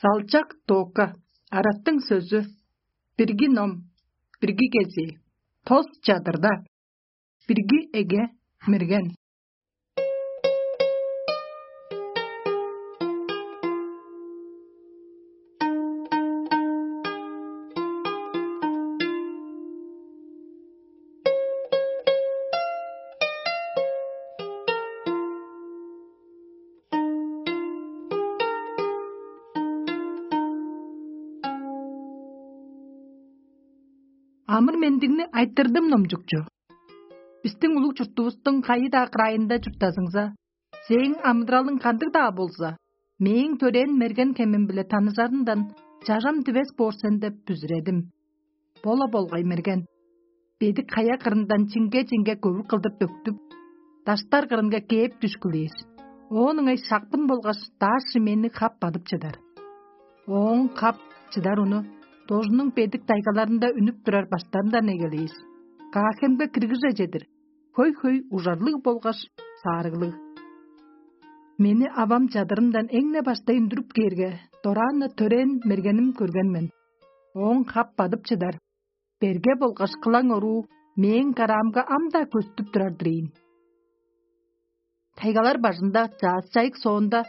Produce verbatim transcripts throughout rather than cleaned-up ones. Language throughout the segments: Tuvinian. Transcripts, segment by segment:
Далчак тока, араттың сөзү, бирги ном, бирги кезии, тос чадырда, бирги эге, мерген. Амыр-мендигни айтырдым номчукчу. Бистиң улуг чуртувустуң кайы-даа кырайында чурттазыңза, сээң амыдыралың кандыг-даа болза, мээң төрээн мерген хемим-биле таныжарындан чажам дивес боор сен деп бүзүредим. Бо-ла болгай мерген. Бедик хая кырындан чиңге-чиңге көвүк кылдыр дөктүп, даштар кырынга кээп дүшкүлээр. Оон ыңай шакпын болгаш дааш шимээни хап бадып чыдар. Ооң хап чыдар уну дожунуң бедик тайгаларында үнүп турар баштарындан эгелээш, Каахемге киргиже чедир, хөй-хөй ужарлыг болгаш саарыглыг. Мени авам чадырындан эң-не баштай үндүрүп кээрге, дораан-на төрээн мергеним көрген мен. Ооң хап бадып чыдар, берге болгаш кылаң оруу мээң караамга ам-даа көстүп турар-дыр ийин. Тайгалар бажында чаъс-чайык соонда,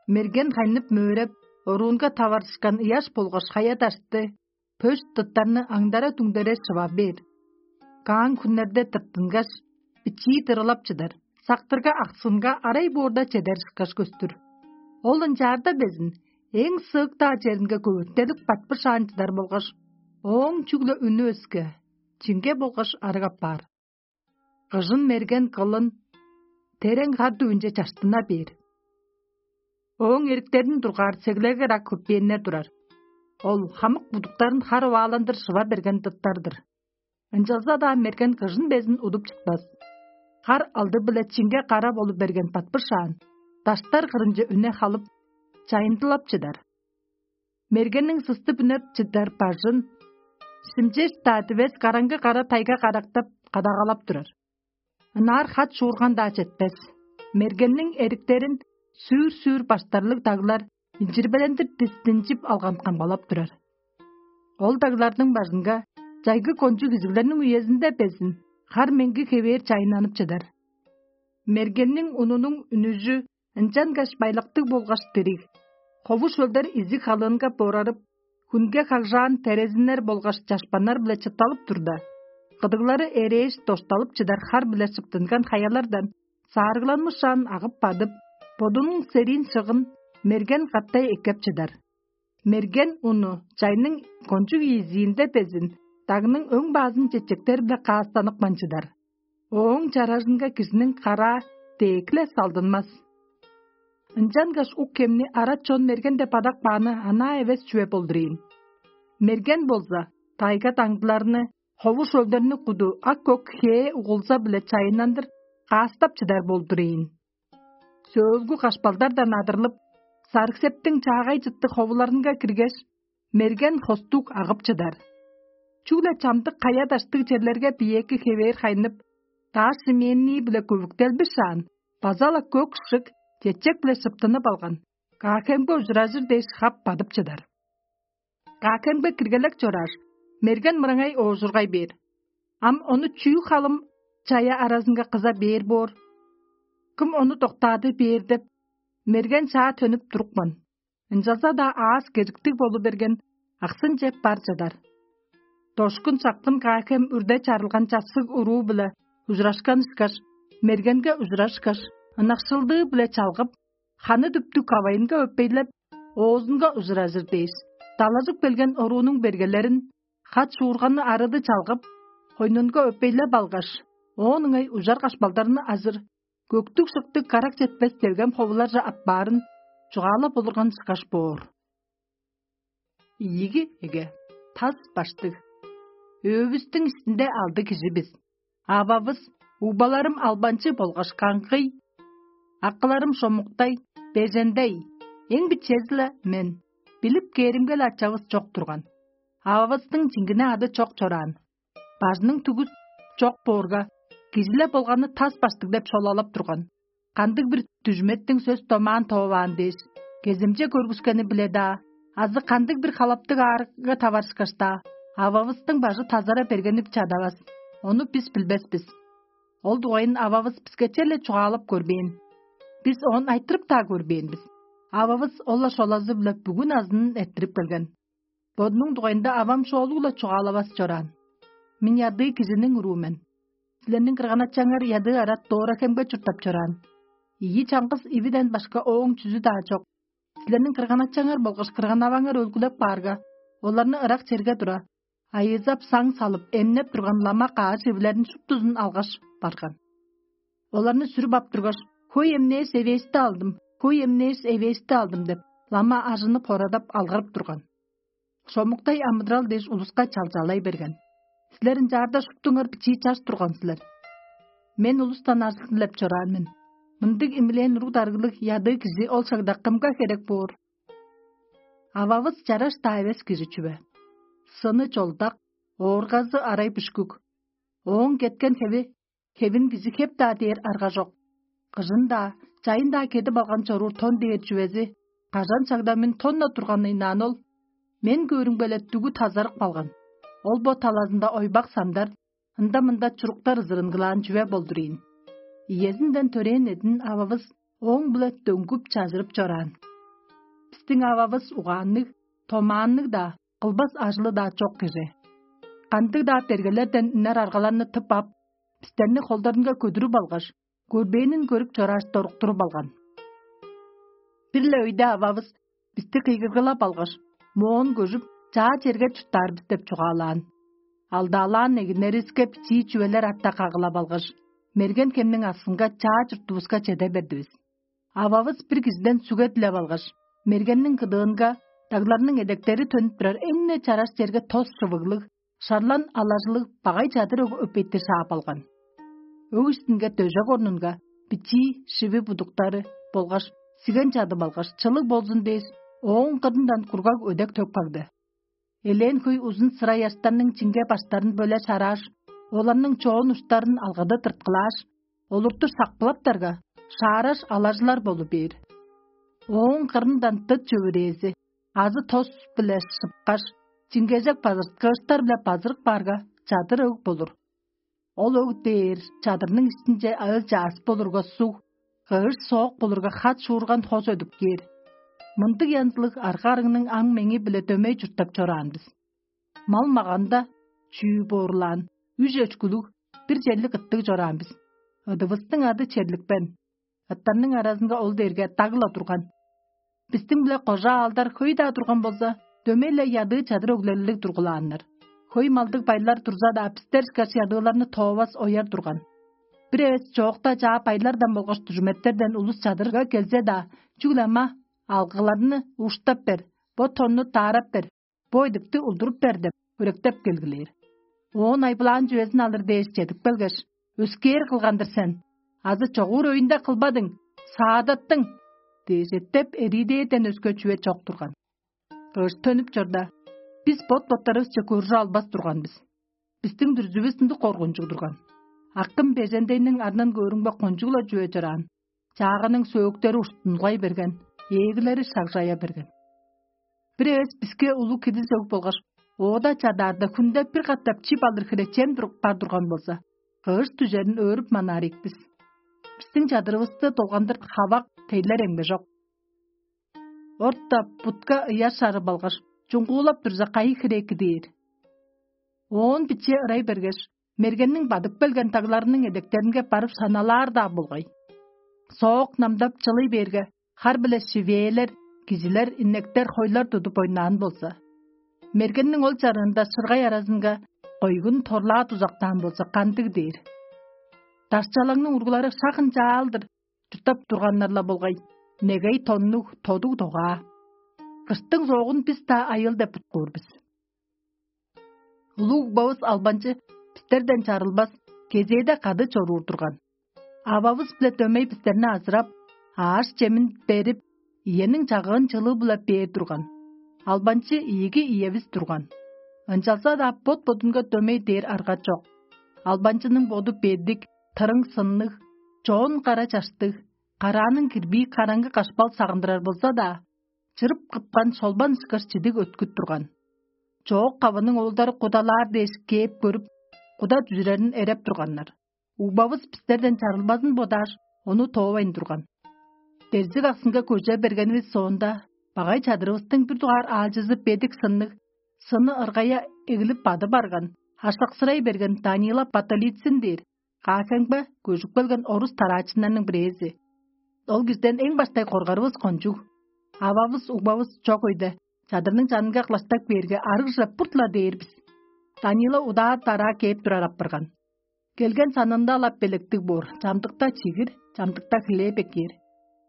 мерген хайнып-мөөреп, оруунга таварышкан ыяш болгаш хая-дашты, пөш дыттарны аңдара-дүңдере шыва бээр. Каан хүннерде тырттынгаш, бичии дырылап чыдар, сактырга аксынга арай боорда чедер ышкаш көстүр. Ол ынчаарда безин эң сыык-даа черинге көвүртелип батпышаан чыдар болгаш, ооң чүгле үнү өске, чиңге болгаш арыг апаар. Кыжын мерген кылын терең хар дүвүнче чаштына бээр. Ооң эриктерин дургаар сеглеге ырак хөппээннер турар. Ол хамык будуктарын хар овааландыр шыва берген дыттар-дыр. Ынчалза-даа мерген кыжын безин удуп чытпас. Хар алды-биле чиңге кара болуп берген батпышаан, даштар кырынче үне халып, чайындылап чыдар. Мергенниң сыстып үнеп чыдар бажын, шимчеш-даа дивес караңгы кара тайга карактап, кадагалап турар. Ынаар хат шуурган-даа четпес. Мергенниң эриктерин сүүр-сүүр баштарлыг даглар инчирбелендир дистинчип алган камгалап турар. Ол дагларның бажынга чайгы кончуг изиглерниң үезинде безин хар меңги хевээр чайыннанып чыдар. Мергенниң унунуң үнүжү ынчангаш байлактыг болгаш дириг, хову шөлдер изиг халыынга борарып, хүнге хагжаан терезиннер болгаш чашпаннар-биле чытталып турда, кыдыглары эрээш дошталып чыдар хар-биле шыптынган хаялардан саарыгланмышаан агып бадып, бодунуң сериин шыгын мерген каттай эккеп чыдар. Мерген уну чайның кончуг ийизиинде безин дагның өң баазын чечектер-биле каастанып манчыдар. Ооң чаражынга кижиниң караа дээк-ле салдынмас. Ынчангаш ук хемни арат чон мерген деп адап кааны анаа эвес чүве болдур ийин. Мерген болза, тайга даңдыларны, хову шөлдерни куду ак-көк хээ угулза-биле чайыннандыр каастап чыдар болдур ийин. Сөөлгү кашпалдардан адырлып, сарык-септиң чаагай чыттыг ховуларынга киргеш, мерген хостуг агып чыдар. Чүгле чамдык кая-даштыг черлерге биеэки хевээр хайнып, дааш шимээннии-биле көвүктелбишаан, база-ла көк шык чечек-биле шыптынып алган, Каахемге ужуражыр дээш хап бадып чыдар. Каахемге киргелек чорааш, мерген мырыңай оожургай бээр. Ам ону чүү халым чая аразынга кыза бээр боор? Кым ону доктаады бээр деп, мерген чаа төнүп турупкан. Ынчалза-даа аас кежиктиг болу берген, аксынче бар чыдар. Дошкун сактым Каахем үрде чарылган чассыг уруу-биле ужурашкан ышкаш, мергенге ужурашкаш, ынакшылдыы-биле чалгып, ханы дүптүг кавайынга өпейлеп, оозунга ужуражыр дээш, далажып келген оруунуң бергелерин, хат шуурганны арыды чалгып, хойнунга өпейлеп алгаш, оон ыңай ужар кашпалдарны ажыр, көктүг-шыктыг карак четпес делгем ховуларже аппаарын чугаалап олурган ышкаш боор. Ийиги эге, тас баштыг. Өөбүстүң иштинде алды кижи бис. Ававыс, угбаларым албанчы болгаш каңгый, акыларым шомуктай, бежендей, эң бичези-ле мен. Билип кээримге-ле ачавыс чок турган. Ававыстың чиңгине ады чок чораан. Бажының түгүс чок боорга, кижи-ле болганы тас баштыг деп шолалап турган. Кандыг-бир дүжметтиң сөс-домаан тооваан дээш, кеземче көргүскени-биле-даа, азы кандыг-бир халаптыг аарыгга таварышкаш-даа, ававыстың бажы тазара бергенип чадавас, ону бис билбес бис. Ол дугайын ававыс биске черле чугаалап көрбээн. Бис оон айтырып-даа көрбээн бис. Ававыс ол-ла шолазы-биле бүгү назынын эрттирип келген. Бодунуң дугайында авам шоолуг-ла чугаалавас чораан. Мен ядыы кижиниң уруу мен. Силерниң кырган-ачаңар ядыы арат Дора-Хемге чурттап чораан. Ийи чаңгыс ивиден башка ооң чүзү-даа чок. Силерниң кырган-ачаңар болгаш кырган-аваңар өлгүлеп каарга, оларны ырак черге тура, айыызап саң салып, эмнеп турган лама каш ивилерин шуптузун алгаш барган. Оларны сүрүп ап тургаш: «Хөй эмнээш эвээшти алдым, хөй эмнээш эвээшти алдым» — деп, лама ажынып-хорадап алгырып турган. Шомуктай амыдырал дээш улуска чалчалай берген. Силер ынчаарда шуптуңар бичии чаш турган силер. Мен улустан ажыл дилеп чораан мен. Мындыг имилээн уруг дарыглыг ядыы кижи ол шагда кымга херек боор? Ававыс чараш-даа эвес кижи чүве. Сыны чолдак, ооргазы арай бүшкүк. Ооң кеткен хеви хевин кижи хеп-даа дээр арга чок. Кыжын-даа, чайын-даа кедип алган чоруур тон дээр чүвези, кажан чагда мен тон-на турганны ынаан ол, мен көөрүмге-ле дүгү тазарып калган. Ол бо талазында ойбак сандар, ында-мында чуруктар ызырынгылаан чүве болдур ийин. Иезинден төрээн эдин ававыс ооң-биле дөңгүп чажырып чораан. Бистиң ававыс угаанныг, томаанныг-даа, кылбас ажылы-даа чок кижи. Кандыг-даа бергелерден үнер аргаларны тып ап, бистерни холдарынга көдүрүп алгаш, көрбээнин көрүп чорааш, доруктуруп алган. Бир-ле өйде ававыс бисти кыйгыргылап алгаш, моон көжүп, чаа черге чурттаар бис деп чугаалаан. Алдаалаан эгиннеривиске бичии чүвелер арта кагылап алгаш, мерген хемниң аксынга чаа чуртувуска чеде бердивис. Ававыс бир кижиден сүге дилеп алгаш, мергенниң кыдыынга, дагларның эдектери төнүп турар эң-не чараш черге тос шывыглыг, шарлан алажылыг багай чадыр өг өпейтир шаап алган. Өг иштинге дөжек орнунга бичии шиви будуктары болгаш сиген чадып алгаш, чылыг болзун дээш, ооң кырындан кургаг өдек төк кагды. Элээн хөй узун сыра ыяштарның чиңге баштарын бөле шарааш, оларның чоон уштарын алгыды тырткылааш, олурту шакпылаптарга, шаараш алажылар болу бээр. Ооң кырындан дыт чөвүрээзи азы тос-биле шыпкаш, чиңгежек базырткыыштар-биле базырып каарга, чадыр өг болур. Ол өг дээр чадырның иштинче ыы-чаас болурга суг, кыыш соок болурга хат шуурган хос өдүп кээр. Мындыг янзылыг арга-арыңның аң-меңи-биле дөмей чурттап чораан бис. Мал-маганда чүү боорлаан, үш өчкүлүг, бир черлик ыттыг чораан бис. Ыдывыстың ады черликпен. Ыттарның аразынга ол дээрге даг-ла турган. Бистиң-биле кожа аалдар хөй-даа турган болза, дөмей-ле ядыы чадыр өглерлиг тургулааннар. Хөй малдыг байлар турза-даа, бистер ышкаш ядыыларны тоовас ояр турган. Бир эвес чоокта чаа байлардан болгаш дүжүметтерден улус чадырга келзе-даа, чүгле ама алгыларны уштап бер, бо тонну таарап бер, бо идипти улдуруп бер деп, хөректеп келгилээр. Оон айбылаан чүвезин алыр дээш чедип келгеш: «Өскээр кылган-дыр сен, азы чогуур өйүнде кылбадың, саадаттың» — дээш эттеп, эриидээрден өске чүве чок турган. Кыш төнүп чорда, бис бот-боттарывысче көржү албас турган бис. Бистиң дүрзүвүс ындыг коргунчуг турган. Акым бежендейниң арнын көөрүңбе кончуг-ла чүве чораан, чаагының сөөктери уштунгай берген, ээглери шагжая берген. Бир эвес биске улуг кидис өг болгаш, оода чадаарда, хүнде бир катап чип алыр хире чем туруп бар турган болза, кыш дүжерин өөрүп манаар ийик бис. Бистиң чадырывысты долгандыр хавак тейлер эмгежок. Орта бутка ыяр шарып алгаш, чуңгуулап турза, кайы хире кидээр? Оон биче ырай бергеш, мергенниң бадып келген тагларының эдектеринге барып шаналаар-даа болгай. Соок намдап чылый бээрге, хар-биле шивээлер, кижилер, иннектер, хойлар тудуп ойнаан болза. Мергенниң ол чарыында шыргай аразынга койгун торлаа дузактаан болза, кандыг дээр? Дашчалаңның ургулары шак ынчаалдыр чурттап турганнар-ла болгай, негей тоннуг тодуг догаа. Кыштың соогун бис-даа айыл деп буткуур бис. Улуг угбавыс албанчы бистерден чарылбас, кезээде кады чоруур турган. Ававыс-биле дөмей бистерни азырап, ааш-чемин берип, иениң чагыын чылыы-биле бээр турган. Албанчы ийиги иевис турган. Ынчалза-даа бот-бодунга дөмей дээр арга чок. Албанчының боду бедик, тырың сынныг, чоон кара чаштыг, карааның кирбии караңгы кашпал сагындырар болза-даа, чырып кыпкан шолбан ышкаш чидиг өткүт турган. Чоок кавының оолдары кудалаар дээш кээп көрүп, куда дүжүрерин эреп турганнар. Угбавыс бистерден чарылбазын бодааш, ону тоовайн турган. Дерзиг аксынга көже бергенивис соонда, багай чадырывыстың бир дугаар аалчызы бедик сынныг, сыны ыргая эгилип бады барган, аштаксырай берген Данила Баталицин дээр каасеңбе көжүп келген орус тараачыннарның бирээзи. Ол кижден эң баштай коргарывыс кончуг. Ававыс угбавыс чок өйде, чадырның чанынга кылаштап кээрге, арыгже бурт-ла дээр бис. Данила удаа-дараа кээп турар апарган. Келген санында-ла белектиг боор, чамдыкта чигир, чамдыкта хлеб эккээр.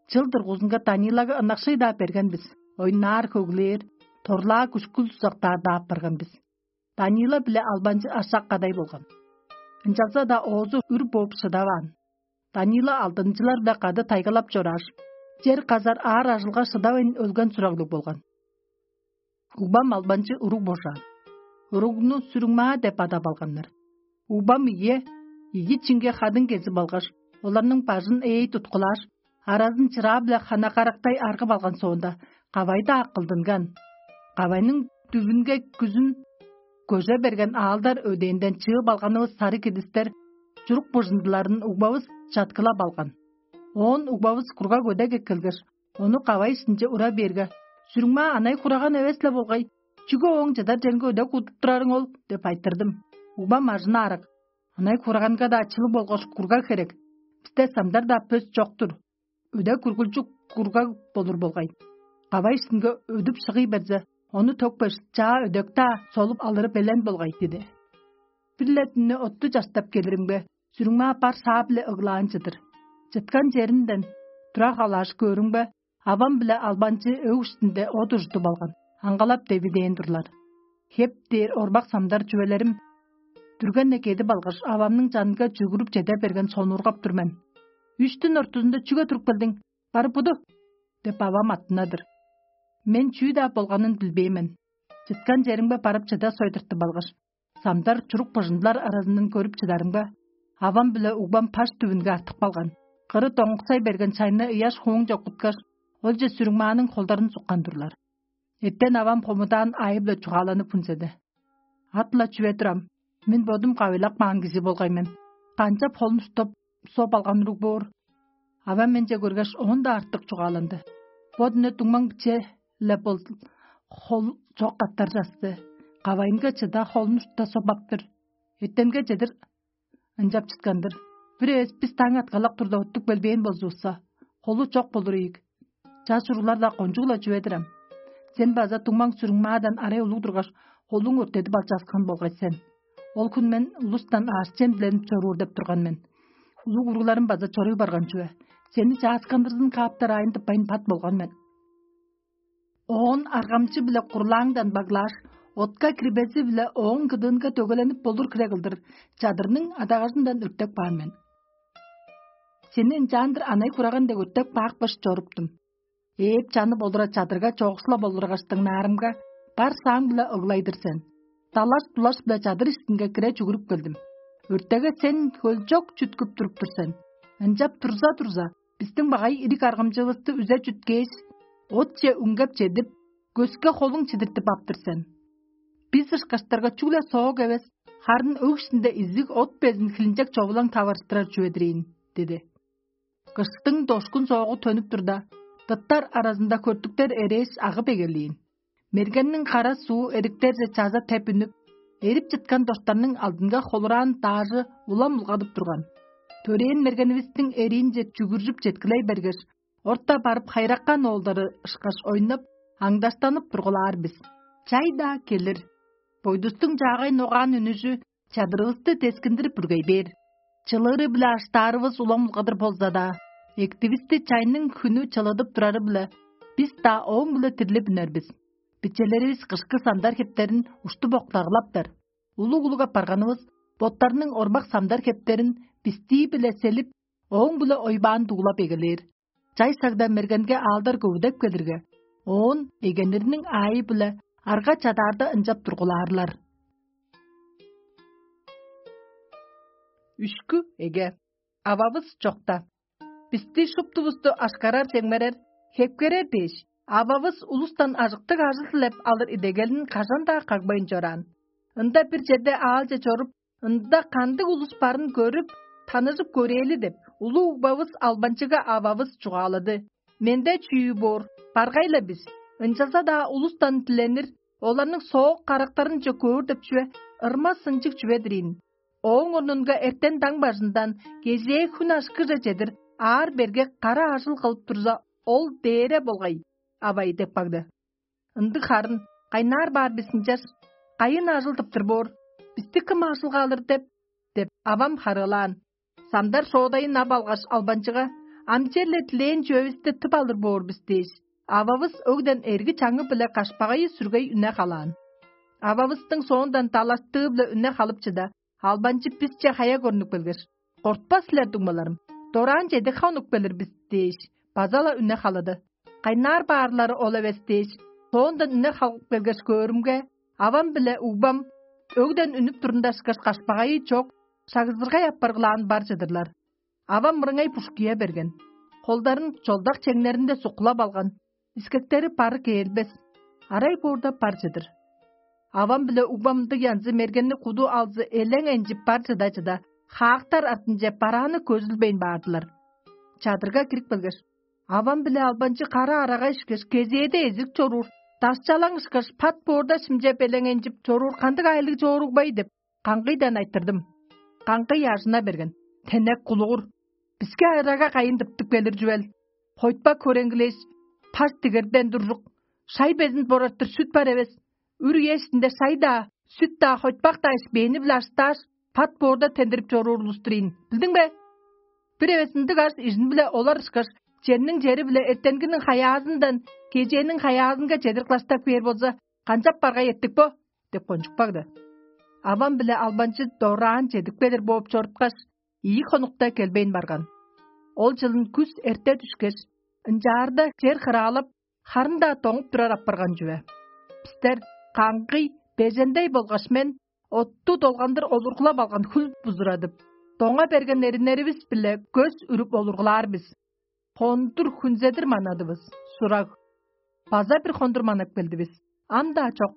Чыл дургузунга Данилага ынакшый-даа берген бис, ойнаар хөглээр, торлаа күшкүл сузактаар-даа апарган бис. Данила биле албанчы ашак кадай болган. Ынчалза-даа оозу үр бооп шыдаваан. Данила алдынчылар-биле кады тайгалап чорааш, чер казар аар ажылга шыдавайн өлген сураглыг болган. Угбам албанчы уруг божаан. Уругну сүрүңмаа деп адап алганнар. Угбам ийе, ийи чинге хадың кезип алгаш, оларның бажын ээй туткулааш, аразын чыраа-биле хана карактай аргып алган соонда, кавайда акылдынган. Кавайның дүвүнге күзүн көже берген аалдар өдээнден чыып алганывыс сары кидистер чурук бужундуларын угбавыс чаткылап алган. Оон угбавыс кургаг өдек эккелгеш, ону кавай иштинче ура бээрге: «Сүрүңмаа анай хураган эвес-ле болгай, чүге ооң чыдар черинге өдек удуп турарың ол?» — деп айтырдым. Угбам ажына арак: «Анай хураганга-даа чылыг болгаш кургаг херек. Бисте самдар-даа пөс чок-тур. Өдек үргүлчү кургаг болур болгай. Кавай иштинге өдүп шыгый берзе, ону төкпеш, чаа өдек-даа солуп алыры белен болгай» — диди. Бир-ле дүннү отту чаштап келиримге, сүрүңмаа бар шаа-биле ыглаан чыдыр. Чыткан черинден тура халааш көөрүмге, авам биле албанчы өг иштинде от ужудуп алган, аңгалап девидээн турлар. Хеп дээр орбак самдар чүвелерим дүрген-не кедип алгаш, авамның чанынга чүгүрүп чеде берген сонуургап тур мен. «Үш дүн ортузунда чүге туруп келдиң? Бары буду!» — деп авам аттына-дыр. Мен чүү-даа болганын билбээн мен. Чыткан черимге барып чыда сойдуртуп алгаш, самдар чурук быжындылар аразындан көрүп чыдарымга, авам биле угбам паш түбүнге артып калган. Кыры доңуксай берген чайны ыяш хууң чоккуткаш, олче сүрүңмааның холдарын суккан турлар. Эттен авам хомудаан аайы-биле чугааланып хүнзеди. Ат-ла чүве турам, мен бодум кавыйлап каан кижи болгай мен. Канчап холун уштап соп алган уруг боор? Авам менче көргеш, оон-даа артык чугааланды. Бо дүне дуңмаң биче-ле бол, хол чок каттар часты. Кавайынга чыда, холун ушта соп аптыр. Эртемге чедир ынчап чыткан-дыр. Бир эвес бис таң аткалак турда оттуп келбээн болзувусса, холу чок болур ийик. Чаш уруглар-даа кончуг-ла чүве-дир ам. Сен база дуңмаң сүрүңмаадан арай улуг тургаш, холуң өрттедип алчааскан болгай сен. Ол хүн мен улустан аъш-чем диленип чоруур деп турган мен. Улуг уругларым база чоруй барган чүве. Сени чааскандырзын кааптар аайын тыппайн бат болган мен. Оон аргамчы-биле курлааңдан баглааш, отка кирбези-биле ооң кыдыынга дөгэленип болур хире кылдыр чадырның адагажындан өртеп каан мен. Сени ынчаандыр анай хураган дег өртеп каапкаш чоруптум. Ээп-чанып олура чадырга чоокшулап олургаш дыңнаарымга, бар сааң-биле ыглай-дыр сен. Далаш-дулаш-биле чадыр иштинге кире чүгүрүп келдим. Өртеге сен хөлчок чүткүп туруп тур сен. Ынчап турза-турза, бистиң багай ириг аргамчывысты үзе чүткээш, отче үңгеп чедип, көске холуң чидиртип аптыр сен. Бис ышкаштарга чүгле соок эвес, харын өг иштинде изиг от безин хилинчек човулаң таварыштырар чүве-дир ийин» — диди. Кыштың дошкун соогу төнүп турда, дыттар аразында хөртүктер эрээш агып эгелээн. Мергенниң кара суу эриктерже чаза теп үнүп, эрип чыткан доштарның алдынга холураан даажы улам улгадып турган. Төрээн мергенивистиң эриинче чүгүржүп четкилей бергеш, орта барып хайраккан оолдары ышкаш ойнап, аңдаштанып тургулаар бис. Чай-даа келир. Бойдустуң чаагай ногаан үнүжү чадырывысты дескиндирип бүргей бээр. Чылыыры-биле аштаарывыс улам улгадыр болза-даа, эктивисти чайның хүнү чылыдып турары-биле, бис-даа ооң-биле дирлип үнер бис. Бичелеривис кышкы самдар хептерин уштуп октагылаптар. Улуг-улуг апарганывыс боттарының орбак самдар хептерин бистии-биле селип, ооң-биле ойбаан дуглап эгелээр. Чай сагда мергенге аалдар көвүдеп келирге, оон эгенириниң аайы-биле арга чадаарда ынчап тургулаарлар. Үшкү эге. Ававыс чокта. Бисти шуптувусту ашкарар-чемгерер, хепкерер дээш, Ававыс улустан ажыктыг ажыл дилеп алыр идегелин кажан-даа кагбайн чораан. Ында бир черде аалче чоруп, ында кандыг улус барын көрүп, таныжып көрээли деп, улуг угбавыс албанчыга ававыс чугаалады: «Менде чүү боор, баргай-ла бис, ынчалза-даа улустан диленир, оларның соок карактарынче көөр деп чүве ырма-сынчыг чүве-дир ийин. Ооң орнунга эртен даң бажындан кежээ хүн ашкыже чедир аар-берге кара ажыл кылып турза, ол дээре болгай, авай» деп кагды. Ындыг харын, кайнаар баар бис ынчаш, кайын ажыл тыптыр боор, бисти кым ажылга алыр деп? — деп, авам харыылаан. Самдар шоодайын ап алгаш, албанчыга: «Ам черле дилээн чүвевисти тып алыр боор бис» — дээш, ававыс өгден эрги чаңы-биле кашпагайы сүргей үне халаан. Ававыстың соондан далаштыы-биле үне халып чыда, албанчы бисче хая көрнүп келгеш: «Кортпас силер, дуңмаларым, дораан чедип хонуп келир бис» — дээш, база-ла үне халады. «Кайнаар баарлары ол эвес» — дээш, соондан үне халып келгеш көөрүмге, авам биле угбам өгден үнүп турунда ышкаш кашпагайы чок, шагзыргай апаргылаан бар чыдырлар. Авам мырыңай бушкуя берген, холдарын чолдак чеңнеринде суккулап алган, искектери бары кээрилбес, арай боорда бар чыдыр. Авам биле угбам ындыг янзы мергенни куду алзы элең энчип бар чыда-чыда, хаактар артынче барааны көзүлбейн баардылар. Чадырга кирип келгеш, авам биле албанчы кара арага ишкеш, кезээде эзирип чоруур, дашчалаң ышкаш, пат боорда шимчеп элең энчип чоруур кандыг айлыг чооругбай деп, каңгыйдан айтырдым. Каңгый ажына берген: «Тенек кулугур, биске арага кайын тыптып келир чүвел? Хойтпак хөреңгилээш, таш дигерден туржук, шай безин борартыр сүт бар эвес. Үр үе иштинде шай-даа, сүт-даа, хойтпак-даа ишпээни-биле аштааш, пат боорда тендирип чоруур улус-тур ийин, билдиң бе? Бир эвес ындыг аш ижин-биле олар ышкаш, черниң чери-биле эртенгиниң хаяазындан кежээниң хаяазынга чедир кылаштап кээр болза, канчап баргай эртик бо?» — деп кончуп кагды. Авам биле албанчы дораан чедип келир бооп чоруткаш, ийи хонукта келбейн барган. Ол чылын күс эрте дүшкеш, ынчаарда чер хыраалап, харын-даа доңуп турар апарган чүве. Бистер, каңгый, бежендей болгаш мен, отту долгандыр олургулап алган хүл бузурадып, доңа берген эриннеривис-биле көс үрүп олургулаар бис. Хондур хүнзедир манадывыс, сураг. База бир хондур манап келдивис. Ам-даа чок.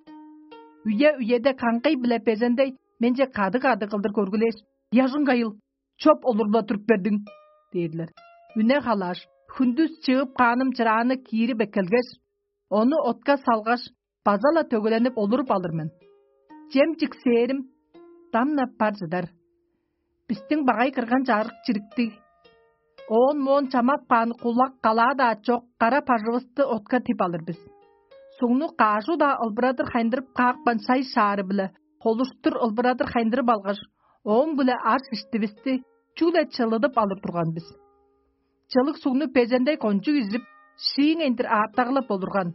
Үе-үеде каңгый биле бежендей менче кады-кады кылдыр көргүлээш: «Ыяжың кайыл, чоп олуруп-ла туруп бердиң» — дээрлер. Үне халааш, хүндүс чыып кааным чырааны киирип эккелгеш, ону отка салгаш, база-ла төгеленип олуруп алыр мен. Чем чиксээрим дамнап бар чыдар. Бистиң багай кырган чарык чириктиг, оон-моон чамап каан кулак калаа-даа чок кара бажывысты отка тип алыр бис. Сугну каажу-даа ылбырадыр хайындырып каапкан шай шаары-биле холуштур ылбырадыр хайындырып алгаш, ооң-биле аш иштивисти чүгле чылыдып алыр турган бис. Чылыг сугну бежендей кончуг изип, шииңейндир аартагылап олурган.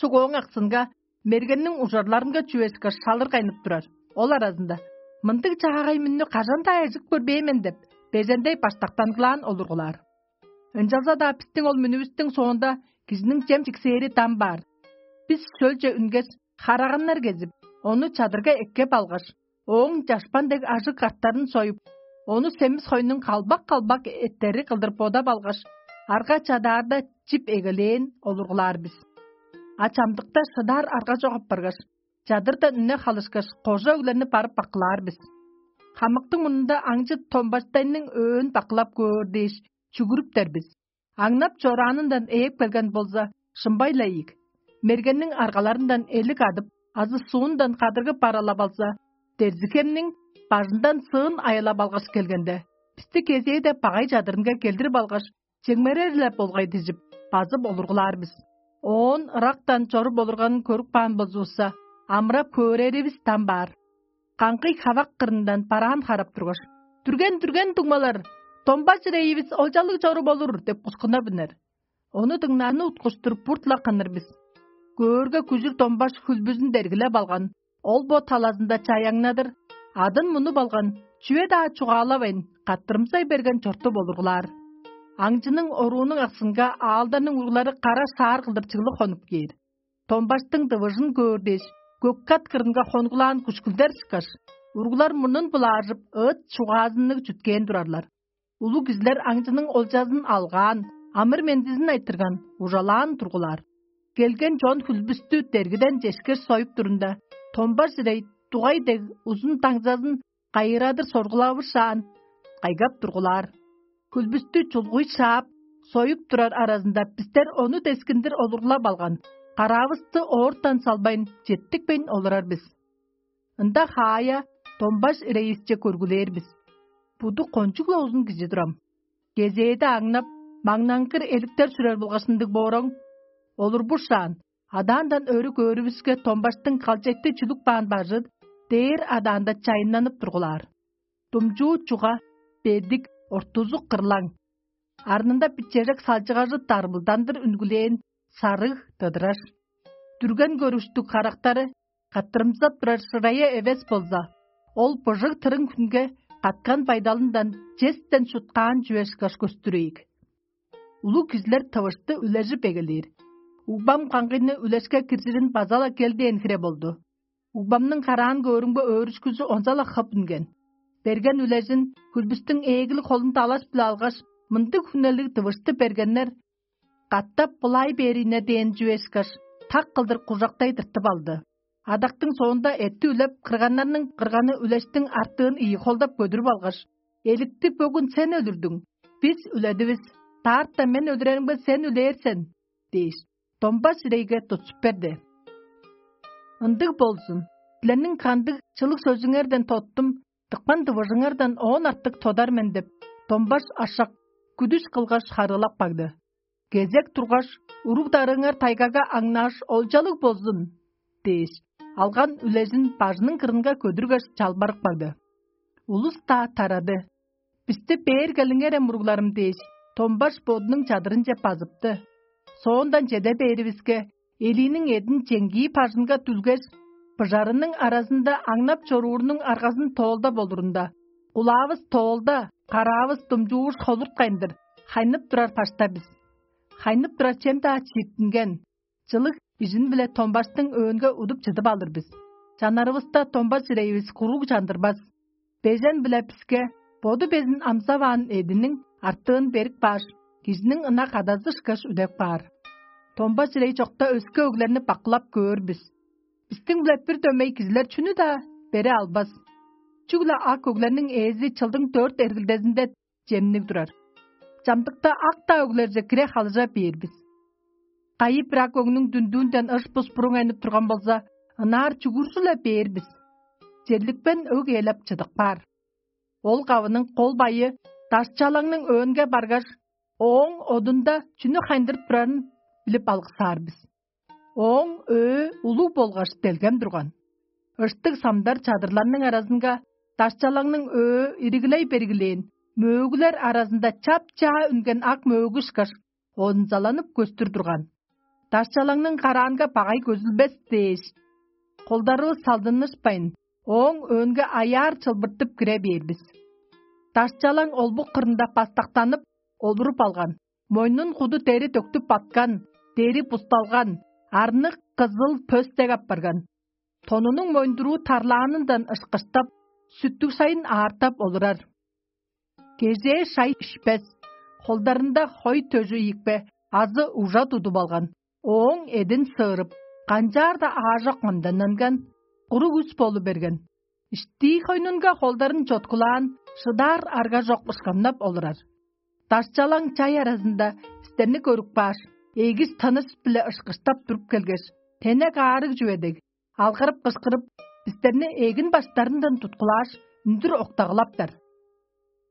Суг ооң аксынга, мергенниң ужарларынга чүве ышкаш шалыр кайнып турар. Ол аразында: «Мындыг чаагай мүннү кажан-даа эжип көрбээн мен» — деп, бежендей баштактангылаан олургулаар. Ынчалза-даа бистиң ол мүнүвүстүң соонда кижиниң чем чиксээри дам баар. Бис шөлче үнгеш, хараганнар кезип, ону чадырга эккеп алгаш, ооң чашпан дег ажыг картарын союп, ону семис хойнуң калбак-калбак эттери кылдыр бодап алгаш, арга чадаарда чип эгелээн олургулаар бис. А чамдыкта шыдаар арга чок апаргаш, чадырдан үне халышкаш, кожа өглерни барып бакылаар бис. Хамыктың мурнунда аңчы томбаштайның өөн бакылап көөр дээш, чүгүрүптер бис. Аңнап чораанындан ээп келген болза, шымбай-ла ийик. Мергенниң аргаларындан элик адып, азы суундан кадыргып баралап алза, Дерзихемниң бажындан сыын аялап алгаш келгенде, бисти кезээде багай чадырынга келдирип алгаш, чемгерер-ле болгай дижип, базып олургулаар бис. Оон ырактан чоруп олурганын көрүп каан болзувусса, амырап хөөреривис дам баар. Каңгый хавак кырындан бараан харап тургаш: «Дүрген, дүрген, дуңмалар! Домба чирейивис олчалыг чоруп олур!» — деп кускунап үнер. Ону дыңнааны уткуштур бурт-ла кыныр бис. Көөрге, күжүр домбаш хүлбүзүн дергилеп алган, ол бо талазында чаяңнадыр, адын мунуп алган, чүве-даа чугаалавайн, каттырымсай берген чорту болургулаар. Аңчының оруунуң аксынга аалдарның уруглары кара шаар кылдыр чыглып хонуп кээр. Домбаштың дывыжын көөр дээш, көк-кат кырынга хонгулаан күшкүлдер ышкаш, уруглар мурнун булаажып, ыыт чугаазынныг чүткээн турарлар. Улуг кижилер аңчының олчазын алгаан, амыр-мендизин айтырган ужалаан тургулаар. Келген чон хүлбүстү дергиден чешкеш союп турунда, томбар чирей дугай дег узун даңзазын кайырадыр соргулавышаан, кайгап тургулаар. Хүлбүстү чулгуй шаап, союп турар аразында бистер ону дескиндир олурлап алган, караавысты оортан салбайн, четтикпейн олурар бис. Ында хаая домбаш ирейисче көргүлээр бис. Буду кончуг-ла узун кижи турам. Кезээде аңнап, маңнаңгыр эликтер сүрер болгаш ындыг бооруң, олурбушаан, адаандан өрү көөрүвүске, домбаштың калчекти чүлүк баан бажы дээр адаанда чайыннанып тургулаар. Думчуу чуга, бедик, ортузу кырлаң. Арнында бичежек салчыгажы дарбылдандыр үнгүлээн сарыг дыдыраш. Дүрген көрүштүг карактары каттырымзап турар шырайы эвес болза, ол быжыг тырың хүнге каткан байдалындан честен шуткаан чүве ышкаш көстүрейик. Улуг кижилер тывышты үлежип эгелээр. Угбам каңгыйны үлешке киржирин база-ла келдээн хире болду. Угбамның караан көөрүмге өөрүшкүзү онза-ла хып үнген. Берген үлежин хүлбүстүң ээглиг холун далаш-биле алгаш, мындыг хүнелиг дывышты бергеннер: «Катап былай бээрине» дээн чүве ышкаш, так кылдыр кужактай тыртып алды. Адактың соонда эътти үлеп, кырганнарның кырганы үлештиң артыын ийи холдап көдүрүп алгаш: «Эликти бөгүн сен өлүрдүң, бис үледивис, даарта мен өлүреримге сен үлээр сен» – дээш, домбас ирейге тутчуп берди. Ындыг болзун, силерниң кандыг чылыг сөзүңерден тоттум, тыпкан дывыжыңардан оон артык тодар мен деп, домбас ашак, күдүс кылгаш харыылап кагды. Кезек тургаш, уруг-дарыыңар тайгага аңнааш, олчалыг болзун – дээш, алган үлезин бажының кырынга көдүргеш, чалбарып кагды. Улус-даа тарады. «Бисти бээр келиңерем, уругларым» – дээш, домбаш бодунуң чадырынче базыпты. Соондан чеде бээривиске, элииниң эъдин чеңгии бажынга дүлгеш, быжарының аразында аңнап чоруурунуң аргазын тоолдап олурунда, кулаавыс тоолда, караавыс думчууш холурткайн-дыр, хайнып турар башта бис. Хайнып турар чем-даа чииттинген, чылыг ижин-биле домбаштың өөнге удуп чыдып алыр бис. Чанарывыста домбас ирейивис куруг чандырбас. Бежен-биле биске боду безин амзаваан эъдиниң артыын берип кааш, кижиниң ынак адазы ышкаш үдеп каар. Домбас ирей чокта өске өглерни бакылап көөр бис. Бистиң-биле бир дөмей кижилер чүнү-даа бере албас. Чүгле ак өглерниң ээзи чылдың дөрт эргилдезинде чемниг турар. Чамдыкта ак-даа өглерже кире халыжа бээр бис. Кайы-бир ак өгнүң дүндүүнден ыш-бус буруңайнып турган болза, ынаар чүгүржү-ле бээр бис. Черликпен өг ээлеп чыдып каар. Ол кавының кол байы дашчалаңның өөнге баргаш, ооң одунда чүнү хайындырып турарын билип алыксаар бис. Ооң өө улуг болгаш делгем турган. Ыштыг самдар чадырларның аразынга дашчалаңның өө иригилей бергилээн, мөөгүлер аразында чап-чаа үнген ак мөөгү ышкаш, онзаланып көстүр турган. Дашчалаңның караанга багай көзүлбес дээш, холдарывыс салдынышпайн, ооң өөнге аяар чылбыртып кире бээр бис. Дашчалаң олбук кырында бастактанып, олуруп алган, мойнун куду дери төктүп баткан, дери бусталган, арныг кызыл пөстек апарган. Тонунуң моюндуруу тарлаанындан ышкыштап, сүттүг шайын аартап олурар. Кежээ шай ишпес, холдарында хой төжү ийикпе азы ужа тудуп алган, ооң эдин сыырып, канчаар-даа аажок мындананган, куруг үс болу берген. Иштии хойнунга холдарын чоткулаан, шыдаар арга чок ышкамнап олурар. Дашчалаң чай аразында бистерни көрүп кааш, эгис тыныс-биле ышкыштап туруп келгеш, тенек аарыг чүве дег, алгырып-кышкырып, бистерни эгин баштарындан туткулааш, үндүр октагылаптар.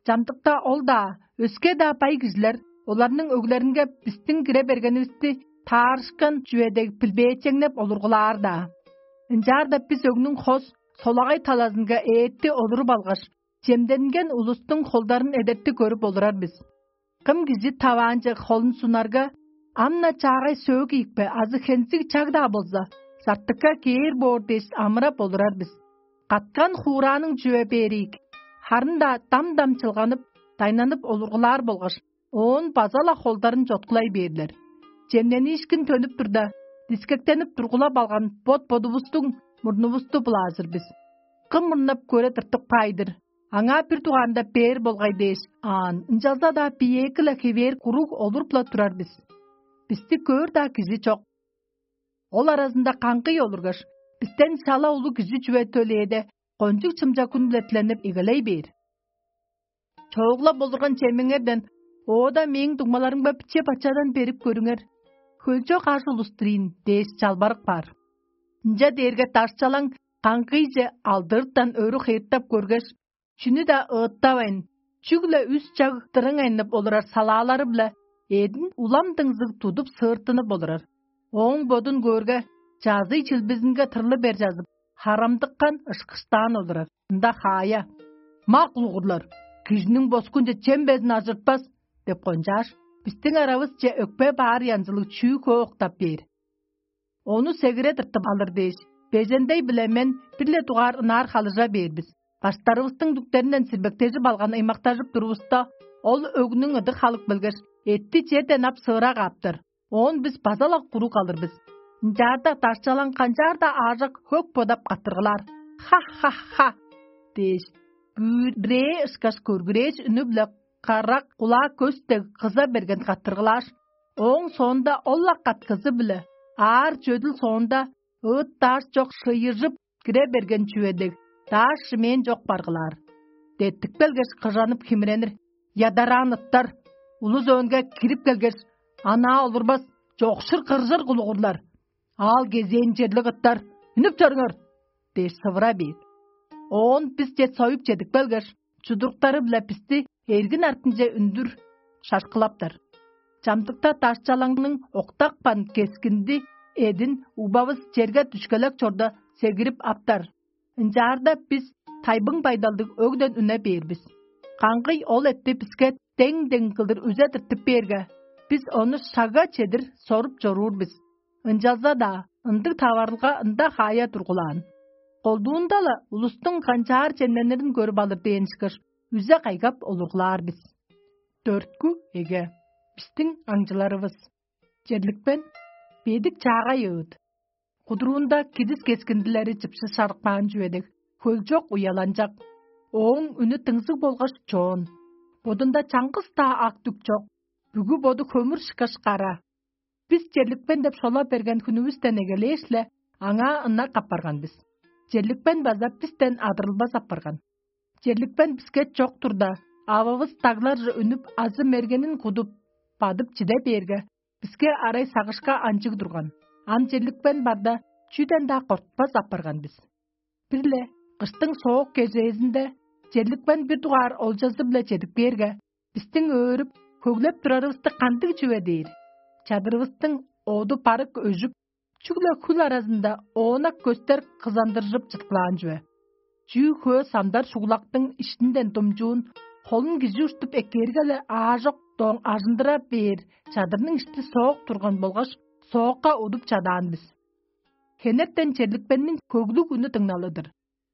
Чамдыкта ол-даа, өске-даа бай кижилер оларның өглеринге бистиң кире бергенивисти таарышкан чүве дег билбээчеңнеп олургулаар-даа. Ынчаарда бис өгнүң хос, солагай талазынга ээти олуруп алгаш, чемденген улустуң холдарын эдерти көрүп олурар бис. Кым кижи таваанче холун сунарга, ам-на чаагай сөөк ийикпе азы хензиг чаг-даа болза, сартыкка кээр боор дээш амырап олурар бис. Каткан хуурааның чүве бээр ийик, харын-даа дам-дам чылганып, дайнанып олургулаар болгаш, оон база-ла холдарын чоткулай бээрлер. Чемнениишкин төнүп турда, дискектенип тургулап алган бот-бодувустуң мурнувусту былаажыр бис. Кым мурнап көре тыртып каай-дыр? Аңаа бир дугаарында бээр болгай дээш, аан, ынчалза-даа биеэки-ле хевээр куруг олуруп-ла турар бис. Бисти көөр-даа кижи чок. Ол аразында каңгый олургаш, бистен шала улуг кижи чүве төлээде, кончуг чымча хүн-биле тиленип эгелей бээр. Чоогла болурган чемеңерден оода мээң дуңмаларымга биче-бачадан берип көрүңер, хөлчок аш улустур ийин дээш чалбарык баар. Ынча дээрге дашчалаң каңгыйже алдыртан өрү хыйыртап көргеш, чүнү-даа ыыттавайн, чүгле үс чаг дырыңайнып олурар салаалары-биле эъдин улам дыңзыг тудуп сыыртынып олурар. Ооң бодун көөрге, чазый чилбизинге тырлы бер чазып, харамдыккан ышкыштаан олурар. Ында хаая: «Мак улугурлар, кижиниң боскунче чем безин ажыртпас» – деп кончааш, бистиң аравысче өкпе баар янзылыг чүү хөө октап бээр. Ону сегире тыртып алыр дээш, бежендей-биле мен бир-ле дугаар ынаар халыжа бээр бис. Баштарывыстың дүктеринден сирбектежип алган ыймактажып турувуста, ол өгнүң ыдык халык билгеш, эътти черден ап сыыра кааптар. Оон бис база-ла куруг калыр бис. Ынчаарда дашчалаң канчаар-даа аажок хөк бодап каттыргылаар: «Ха-ха-ха!» – дээш, бүрээ ышкаш көргүрээш үнү-биле карак кулаа көс дег кыза берген каттыргылааш, ооң соонда ол-ла каткызы-биле аар чөдүл соонда ыыт-даш чок шыйыжып кире берген чүве дег, дааш шимээн чок баргылаар. Деттик белгеш, кыжанып химиренир ядараан ыттар, улус өөнге кирип келгеш: «Анаа олурбас, чокшур кыржыр кулугурлар, аал кезээн черлиг ыттар, үнүп чоруңар!» – дээш сывыра бээр. Оон бис чет союп чедип келгеш, чудуруктары-биле бисти эргин артынче үндүр шашкылаптар. Чамдыкта дашчалаңның октапкан кескинди эдин убавыс черге дүшкелек чорда сегирип аптар. Ынчаарда бис тайбың байдалдыг өгден үне бээр бис. Каңгый ол этти биске дең-дең кылдыр үзе тыртып бээрге, бис ону шагга чедир соруп чоруур бис. Ынчалза-даа ындыг таварылга ында хаая тургулаан. Колдуунда-ла улустуң канчаар чемненирин көрүп алыр дээн ышкаш, үзе кайгап олургулаар бис. Дөрткү эге. Бистиң аңчыларывыс. Черликпен бедик чаагай ыыт. Кудуруунда кидис кескиндилери чыпшы шарыкпаан чүве дег, хөлчок уяланчак. Ооң үнү дыңзыг болгаш чоон. Бодунда чаңгыс-даа ак дүк чок. Бүгү боду хөмүр шыкаш кара. Бис черликпен деп шола берген хүнүвүстен эгелээш-ле, аңаа ынак апарган бис. Черликпен база бистен адырылбас апарган. Черликпен биске чок турда, ававыс дагларже үнүп, азы мергенин кудуп, бадып чиде бээрге, биске арай сагышка анчыг турган. Ам черликпен барда, чүден-даа кортпас апарган бис. Бир-ле кыштың соок кежээзинде черликпен бир дугаар олчазы-биле чедип кээрге, бистиң өөрүп, хөглеп турарывысты кандыг чүве дээр? Чадырывыстың оду барык өжүп, чүгле хүл аразында оонак көстер кызандыржып чыткылаан чүве. Чүү хөө самдар шугулактың иштинден думчуун холун кижи уштуп эккээрге-ле, аажок доң ажындыра бээр чадырның ишти соок турган болгаш, соокка удуп чадаан бис. Хенертен черликпенниң хөглүг үнү дыңналыдыр.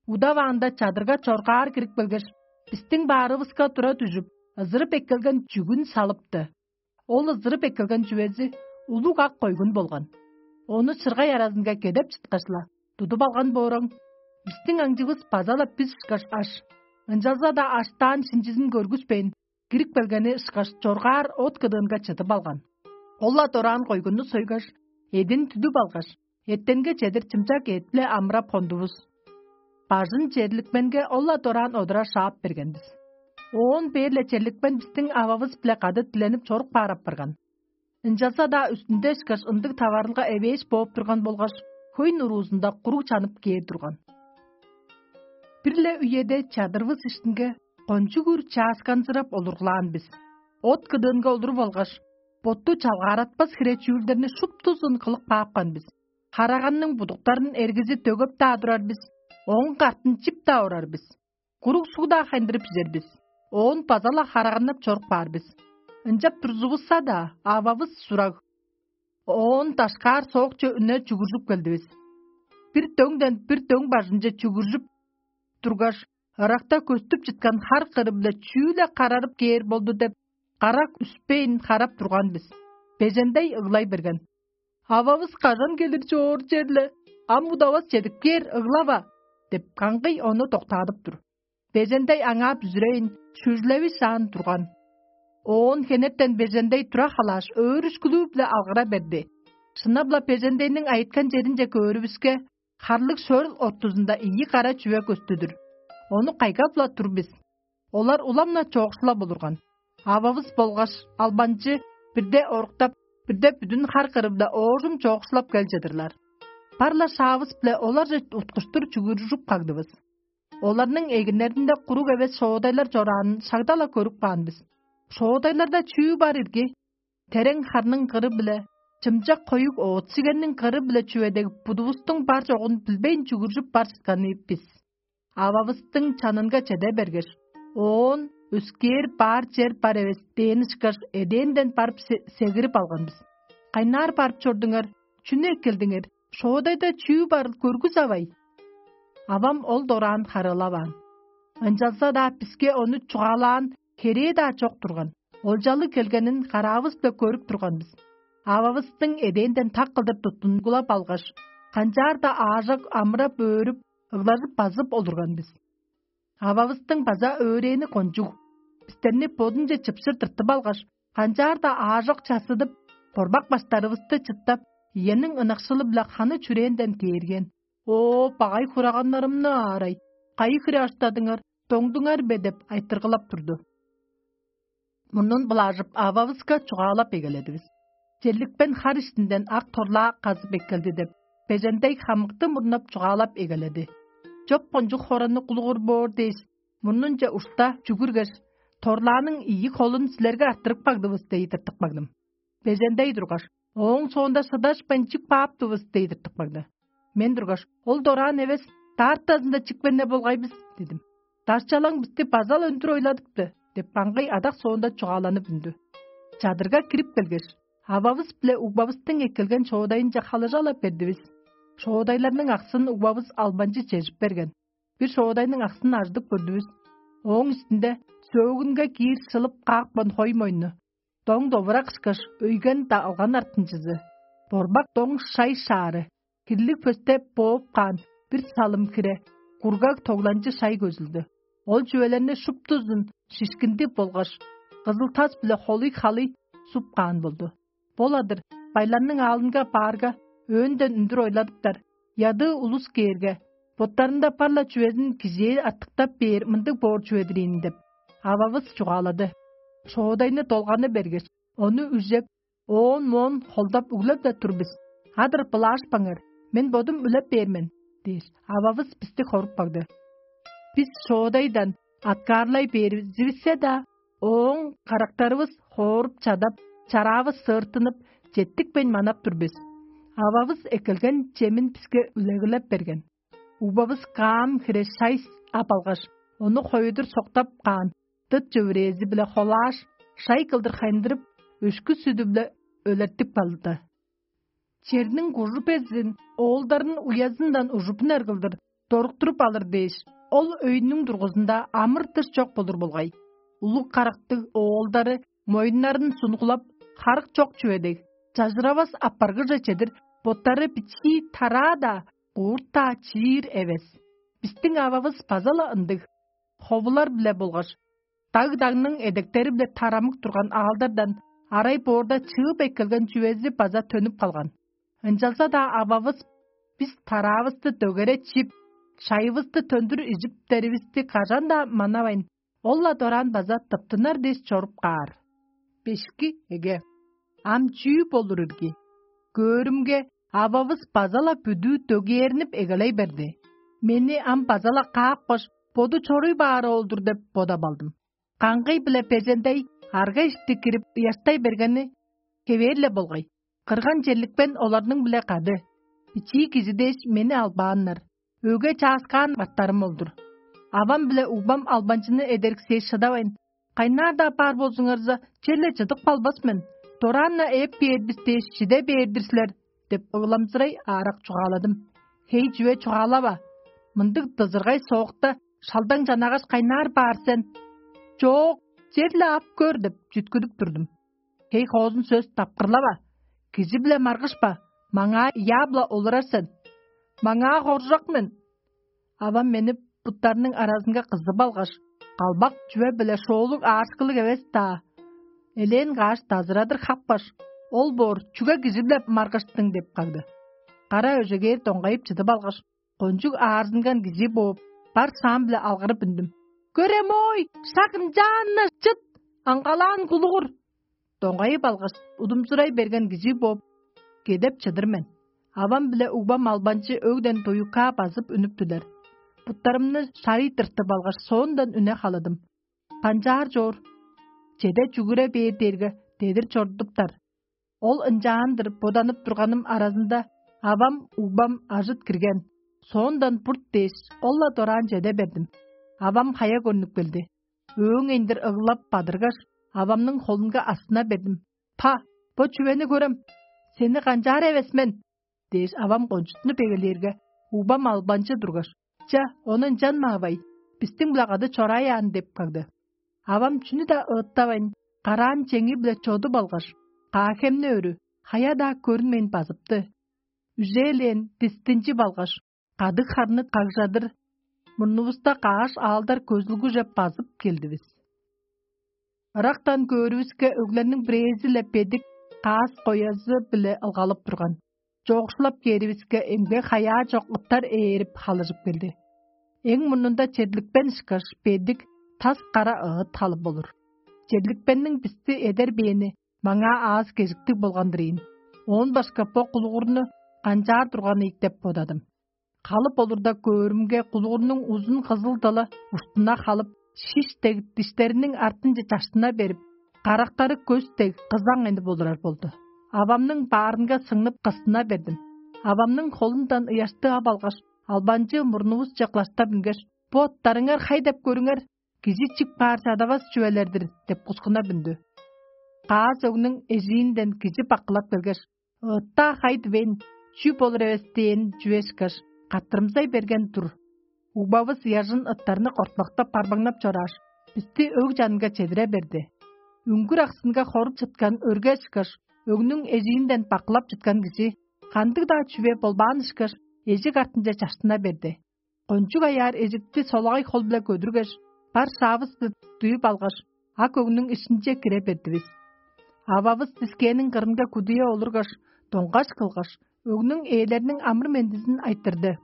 Удаваанда чадырга чоргаар кирип келгеш, бистиң баарывыска тура дүжүп, ызырып эккелген чүгүн салыпты. Ол ызырып эккелген чүвези улуг ак койгун болган. Ону чыргай аразынга кедеп чыткаш-ла, тудуп алган бооран, бистиң аңчывыс база-ла бис ышкаш аш. Ынчалза-даа аштаан шинчизин көргүспейн, кирип келгени ышкаш чоргаар от кыдыынга чыдып алган. Ол-ла дораан койгунну сойгаш, эдин түдүп алгаш, эртенге чедир чымчак эът-биле амырап хондувус. Бажын черликменге ол-ла дораан одура шаап берген бис. Оон бээр-ле черликмен бистиң ававыс-биле кады диленип чорук баар апарган. Ынчалза-даа үстүнде ышкаш ындыг таварылга эвээш бооп турган болгаш, хөйн уруузунда куруг чанып кээр турган. Бир-ле үеде чадырывыс иштинге кончуг үр чаасканзырап олургулаан бис. От кыдыынга олуруп алгаш, ботту чалгааратпас хире чүүлдерни шуптузун кылып каапкан бис. Хараганның будуктарын эргизи дөгеп-даа турар бис, ооң картын чип-даа орар бис. Куруг суг-даа хайындырып ижер бис. Оон база-ла хараганнап чоруп каар бис. Ынчап турзувусса-даа, ававыс сураг. Оон дашкаар соокче үне чугуржуп келдивис. Бир дөңден бир дөң бажынче чүгүржүп тургаш, ыракта көстүп чыткан хар кыры-биле чүү-ле карарып кээр болду деп, карак үспейн харап турган бис. Бежендей ыглай берген: «Ававыс кажан келир чоор черле? Ам удавас чедип кээр, ыглава!» – деп, каңгый ону доктаадып тур. Бежендей аңаа бүзүрейн, шүжүлеви шаан турган. Оон хенертен бежендей тура халааш, өөрүшкүлүү-биле алгыра берди. Шынап-ла бежендейниң айыткан черинче көөрүвүске, харлыг шөрүл ортузунда ийи кара чүве көстүдүр. Ону кайгап-ла тур бис. Олар улам-на чоокшулап олурган. Ававыс болгаш албанчы бирде оруктап, бирде бүдүн хар кырында оожум чоокшулап кел чыдырлар. Бар-ла шаавыс-биле оларже уткуштур чүгүржүп кагдывыс. Оларның эгиннеринде куруг эвес шоодайлар чораанын шагда-ла көрүп каан бис. Шоодайларда чүү бар ирги? Терең харның кыры-биле, чымчак хоюг оът-сигенниң кыры-биле чүве дег будувустуң бар чогун билбейн чүгүржүп бар чытканы бис. Ававыстың чанынга чеде бергеш, оон өскээр баар чер бар эвес дээн ышкаш эдээнден барып се- сегирип алган бис. Кайнаар барып чордуңар, чүнү эккелдиңер, шоодайда чүү барыл көргүс авай? Авам ол дораан харыылаваан. Ынчалза-даа биске ону чугаалаан херээ-даа чок турган. Олчалы келгенин караавыс-биле көрүп турган бис. Ававыстың эдээнден так кылдыр туттунгулап алгаш, канчаар-даа аажок амырап-өөрүп, ыглажып базып олурган бис. Ававыстың база өөрээни кончуг. Бистерни бодунче чыпшыр тыртып алгаш, канчаар-даа аажок чассыдып, борбак баштарывысты чыттап, иениң ынакшылы-биле ханы чүрээнден кээрген: «О, багай хураганнарымны аарай, кайы хире аштадыңар, доңдуңар бе?» — деп айтыргылап турду. Мурнун былаажып, ававыска чугаалап эгеледивис. Черликпен хар иштинден ак торлаа казып эккелди деп, бежендей хамыкты мурнап чугаалап эгеледи. Чоп кончуг хоранны кулугур боор дээш, мурнунче ушта чүгүргеш, торлааның ийи холун силерге арттырып кагдывыс дей тыртык багдым. Бежендей тургаш, ооң соонда шыдашпайн чип кааптывыс дей тыртык багды. Мен тургаш: «Ол дораан эвес, даартазында чикпенне болгай бис» — дидим. «Дарчалаң бисти база-ла үндүр ойладыпты» — деп, каңгый адак соонда чугааланып үндү. Чадырга кирип келгеш, ававыс биле угбавыстың эккелген шоодайынче халыжалап бердивис. Шоодайларның аксын угбавыс албанчы чежип берген. Бир шоодайның аксын ажыдып көрдүвүс. Ооң үстүнде сөөгүнге киир шылып каапкан хой мойну, доң довурак ышкаш өйген-даа алган артынчызы, борбак доң шай шаары, хирлиг пөстеп бооп каан бир салым хире, кургаг тогланчы шай көзүлдү. Ол чүвелерни шуптузун шишкинди болгаш кызыл тас биле холуй халый суп каан болду. Боладыр, байларның аалынга баарга, өнден үндүр ойладыптар, ядыы улус кээрге, боттарында бар-ла чүвезин кижээ артыктап бээр мындыг боор чүве-дир ийин деп, ававыс чугаалады. Шоодайны долганы бергеш, ону үжеп, оон-моон холдап үглеп-даа тур бис. Адыр былаашпаңар, мен бодум үлеп бээр мен дээш, ававыс бисти хоруп кагды. Бис шоодайдан аткаарлай бээривиссе-даа, ооң карактарывыс хооруп чадап, чараавыс сыыртынып, четтикпейн манап тур бис. Ававыс эккелген чемин биске үлегилеп берген. Угбавыс каам хире шай ап алгаш, ону хоюдур соктап каан дыт чөвүрээзи-биле холааш, шай кылдыр хайындырып, өшкү сүдү-биле өлертип калды. Черниң кужу безин оолдарын уязындан ужупунар кылдыр доруктуруп алыр дээш, ол өйнүң дургузунда амыр-дыш чок болур болгай. Улуг карактыг оолдары моюннарын сунгулап, харык чок чүве дег, чажыравас апаргыже чедир боттары бичии тараа-даа, куурт-даа чиир эвес. Бистиң ававыс база-ла ындыг. Ховулар-биле болгаш даг-дагның эдектери-биле тарамык турган аалдардан арай боорда чыып эккелген чүвези база төнүп калган. Ынчалза-даа ававыс бис тараавысты дөгере чип, шайывысты төндүр ижиптеривисти кажан-даа манавайн, ол-ла дораан база тыптынар дээш чоруп каар. Бешки эге. Ам чүү болур ирги? Көөрүмге, ававыс база-ла бүдүү дөгээрнип эгелей берди. Мени ам база-ла каапкаш, боду чоруй баары ол-дур деп бодап алдым. Каңгый-биле бежендей арга ишти кирип, ыяштай бергени хевээр-ле болгай. Кырган черликпен оларның-биле кады. Бичии кижи дээш мени албааннар. Өге чааскаан баттарым ол-дур. Авам биле угбам албанчыны эдериксээш шыдавайн: «Кайнаар-даа бар болзуңарза, черле чыдып калбас мен. Дораан-на ээп бээр бис дээш, чиде бээр-дир силер» — деп ыламчырай аарак чугааладым. «Хей, чүве чугаалава. Мындыг дызыргай соокта шалдаң чанагаш, кайнаар баар сен?» «Чоок, черле ап көр» — деп чүткүдүп турдум. «Хей, хоозун сөс тапкырлава. Кижи-биле маргышпа, маңаа ыяап-ла олурар сен». «Маңаа хоржок мен». Авам мени буттарының аразынга кызып алгаш, калбак чүве-биле шоолуг аарышкылыг эвес-даа, элээн каш дазырадыр хапкаш: «Ол боор чүге кижи-биле маргыштың?» – деп кагды. Кара өжегээр доңгайып чыдып алгаш, кончуг аарзынган кижи бооп, бар шаам-биле алгырып үндүм: «Көрем-ой, шак ынчаан-на чыт! Аңгалаан кулугур!» Доңгайып алгаш, удумчурай берген кижи бооп, кедеп чыдыр мен. Авам биле угбам албанчы өгден дуюкка базып үнүптүлер. Буттарымны шарый тыртып алгаш, соондан үне халадым. Канчаар чоор? Чеде чүгүре бээр дээрге, дедир чорудуптар. Ол ынчаан-дыр боданып турганым аразында авам, угбам ажыт кирген. Соондан бурт дээш, ол-ла дораан чеде бердим. Авам хая көрнүп келди. Өөң эндир ыглап бадыргаш, авамның холунга астына бердим. «Па, бо чүвени көрем, сени канчаар эвес мен?» – дээш, авам кончуттунуп эгелээрге, угбам албанчы тургаш: «Ча, ону ынчанмаавай, бистиң-биле кады чорааяан» – деп кагды. Авам чүнү-даа ыыттавайн, караан чеңи-биле чодуп алгаш, каа-хемни өрү, хая-даа көрүнмейн базыпты. Үжээлээн дистинчип алгаш, кадыг харны кагжадыр мурнувуста каш аалдар көзүлгүже базып келдивис. Ырактан көөрүвүске, өглерниң бирээзи-ле бедик каас коязы-биле ылгалып турган. Чоокшулап кээривиске, эмге хаяа чок ыттар ээрип халыжып келди. Эң мурнунда черликпен ышкаш, бедик тас кара ыыт халып болур. Черликпенниң бисти эдер бээни маңаа аас-кежиктиг болган-дыр ийин. Оон башка бо кулугурну канчаар турган ийик деп бодадым. Халып олурда көөрүмге, кулугурнуң узун кызыл дылы уштуна халып, шиш дег диштериниң артынче чаштына берип, карактары көс дег кызаң энип олурар болду. Авамның баарынга сыңнып, кыстына бердим. Авамның холундан ыяшты ап алгаш, албанчы мурнувусче кылаштап үнгеш: «Бо оттарыңар хай деп көрүңер, кижи чип каар чадавас чүвелер-дир» – деп кускунап үндү. Каас өгнүң эжиинден кижи баккылап келгеш: «Ыыттаа хай дивейн, чүү болур эвес» – дээн чүве ышкаш, каттырымзай берген тур. Угбавыс ыяжын ыттарны кортпактап, барбаңнап чорааш, бисти өг чанынга чедире берди. Үңгүр аксынга хоруп чыткан өрге ышкаш, өгнүң эжиинден баккылап чыткан кижи кандыг-даа чүве болбаан ышкаш, эжик артынче чаштына берди. Кончуг аяар эжикти солагай хол-биле көдүргеш, бар шаавыс-биле дуюп алгаш, ак өгнүң иштинче кире бердивис. Ававыс дискээниң кырынга кудуя олургаш, доңгаш кылгаш, өгнүң ээлериниң амыр-мендизин айтырды.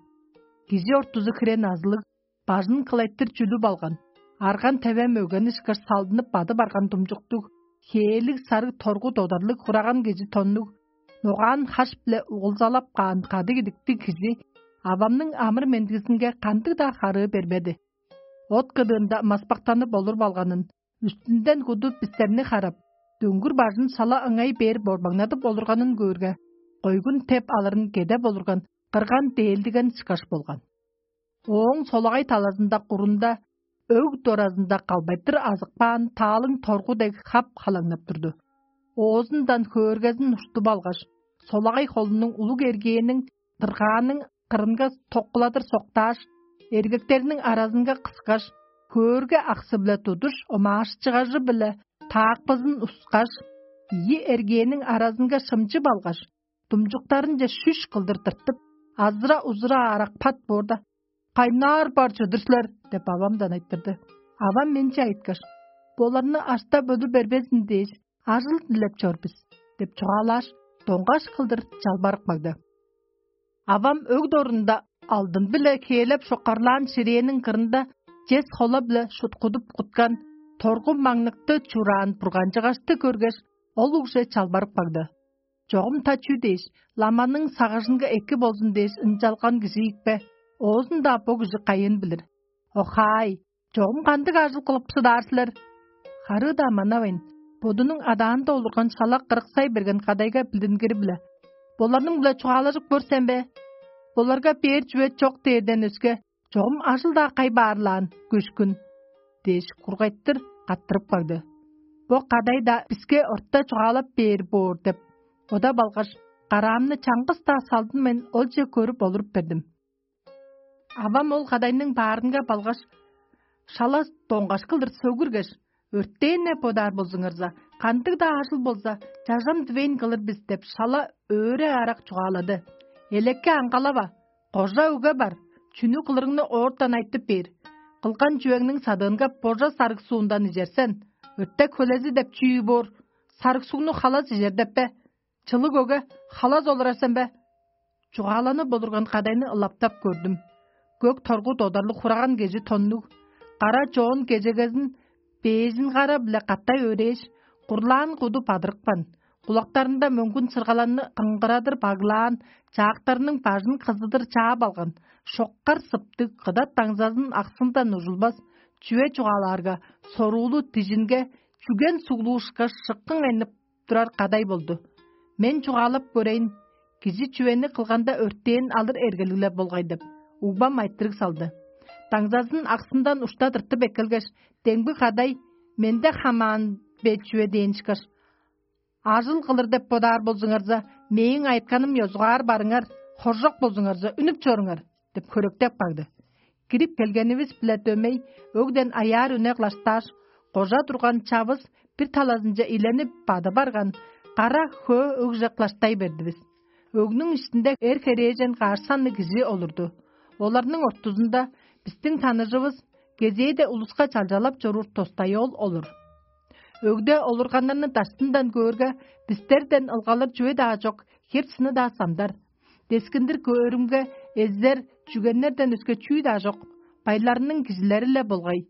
Кижи ортузу хире назылыг, бажын кылайтыр чүлүп алган, арган-теве мөген ышкаш салдынып бадып арган думчуктуг, хээлиг сарыг торгу додарлыг хураган кижи тоннуг, ногаан хаш-биле угулзалап каан кадыг идиктиг кижи авамның амыр-мендизинге кандыг-даа харыы бербеди. От кыдыында маспактанып олуруп алганын, үстүнден куду бистерни харап, дөңгүр бажын шала ыңай бээр борбаңнадып олурганын көөрге, койгун теп алырын кедеп олурган кырган дээлдиген ышкаш болган. Ооң солагай талазында курунда өг доразында калбайтыр азыкпаан таалың торгу дег хап халаңнап турду. Оозундан хөөргезин уштуп алгаш, солагай холунуң улуг эргээниң дыргааның кырынга токкуладыр соктааш, эргектериниң аразынга кыскаш, хөөрге аксы-биле тудуш омаашчыгажы-биле таакпызын ускаш, ийи эргээниң аразынга шымчып алгаш, думчуктарынче шүш кылдыр тыртып, азыра-узура аарак пат боорда: «Кайнаар бар чыдыр силер?» – деп авамдан айтырды. Авам менче айткаш: «Боларны аштап өлүр бербезин дээш, ажыл дилеп чор бис» – деп чугаалааш, доңгаш кылдыр чалбарып кагды. Авам өг дорунда алдын-биле хээлеп шокарлаан ширээниң кырында чес хола-биле шуткудуп куткан торгу маңныкты чураан бурганчыгашты көргеш, ол угже чалбарып кагды. Чогум та чүү дээш, ламаның сагыжынга эки болзун дээш ынчалган кижи ийикпе? Оозун-даа бо кижи кайыын билир? Охаай, чогум кандыг ажыл кылып шыдаар силер? Харыы-даа манавайн, бодунуң адаанда олурган шала кырыксай берген кадайга билдингири-биле: «Боларның-биле чугаалажып көр сен бе? Боларга бээр чүве чок дээрден өске, чогум ажыл-даа кай баарлаан көшкүн» – дээш, кургайтыр каттырып кагды. Бо кадай-даа биске орта чугаалап бээр боор деп бодап алгаш, караамны чаңгыс-даа салдынмайн олче көрүп олуруп бердим. Авам ол кадайның баарынга балгаш, шала доңгаш кылдыр сөгүргеш: «Өртээн-не бодаар болзуңарза, кандыг-даа ажыл болза, чажам дивейн кылыр бис» – деп, шала өөре-арак чугаалады. «Элекке аңгалава, кожа өге бар, чүнү кылырыңны оортан айтып бээр. Кылган чүвеңниң садыынга божа сарыг суундан ижер сен. Өртек хөлези деп чүү боор? Сарыг сугну халас ижер деп бе? Чылыг өге халас олурар сен бе? Чугааланып олурган кадайны ылаптап көрдүм. Көк торгу додарлыг хураган кежи тоннуг, кара чоон кежегезин бээжин кара-биле катай өрээш, курлаан куду бадырыпкан, кулактарында мөңгүн сыргаланны кыңгырадыр баглаан, чаактарының бажын кызыдыр чаап алган, шоккар сыптыг кыдат даңзазын аксындан ужулбас, чүве чугаалаарга, соруулу дижинге чүген суглуушкаш, шыккың айнып турар кадай болду. Мен чугаалап көрейн, кижи чүвени кылганда өртээн алыр эргелиг-ле болгай деп, угбам айтырыг салды. Даңзазын аксындан ушта тыртып эккелгеш, демги кадай менде хамаан бе чүве дээн ышкаш: «Ажыл кылыр деп бодаар болзуңарза, мээң айытканым ёзугаар барыңар, хоржок болзуңарза, үнүп чоруңар» — деп хөректеп кагды. Кирип келгенивис-биле дөмей, өгден аяар үне кылаштааш, кожа турган чавыс бир талазынче иленип бады барган, кара хөө өгже кылаштай бердивис. Өгнүң иштинде эр херээжен каш санныг кижи олурду. Оларның ортузунда бистиң таныжывыс кезээде улуска чалчалап чоруур тостайол олур. Өгде олурганнарны даштындан көөрге, бистерден ылгалыр чүве-даа чок, хеп-сыны-даа самдар. Дескиндир көөрүмге, эзер, чүгеннерден өске чүү-даа чок, байларының кижилери-ле болгай.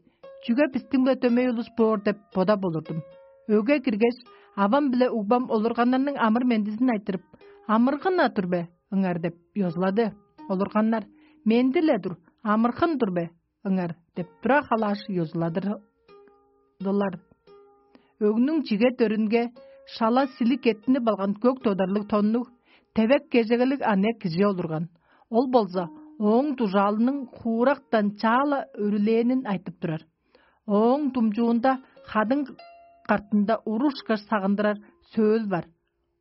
Чүге бистиң-биле дөмей улус боор деп бодап олурдум. Өгге киргеш, авам биле угбам олурганнарның амыр-мендизин айтырып: «Амыргын-на тур бе ыңар?» — деп ёзулады. Олурганнар: «Менди-ле тур, амыргын тур бе ыңар?» — деп тура халааш ёзуладырдылар. Өгнүң чиге дөрүнге шала силип кеттинип алган көк тодарлыг тоннуг, тевек кежегелиг аныяк кижи олурган. Ол болза ооң дужаалының хуурактан чаала өрүлээнин айтып турар. Ооң думчуунда хадың картында урушкаш сагындырар сөөл бар.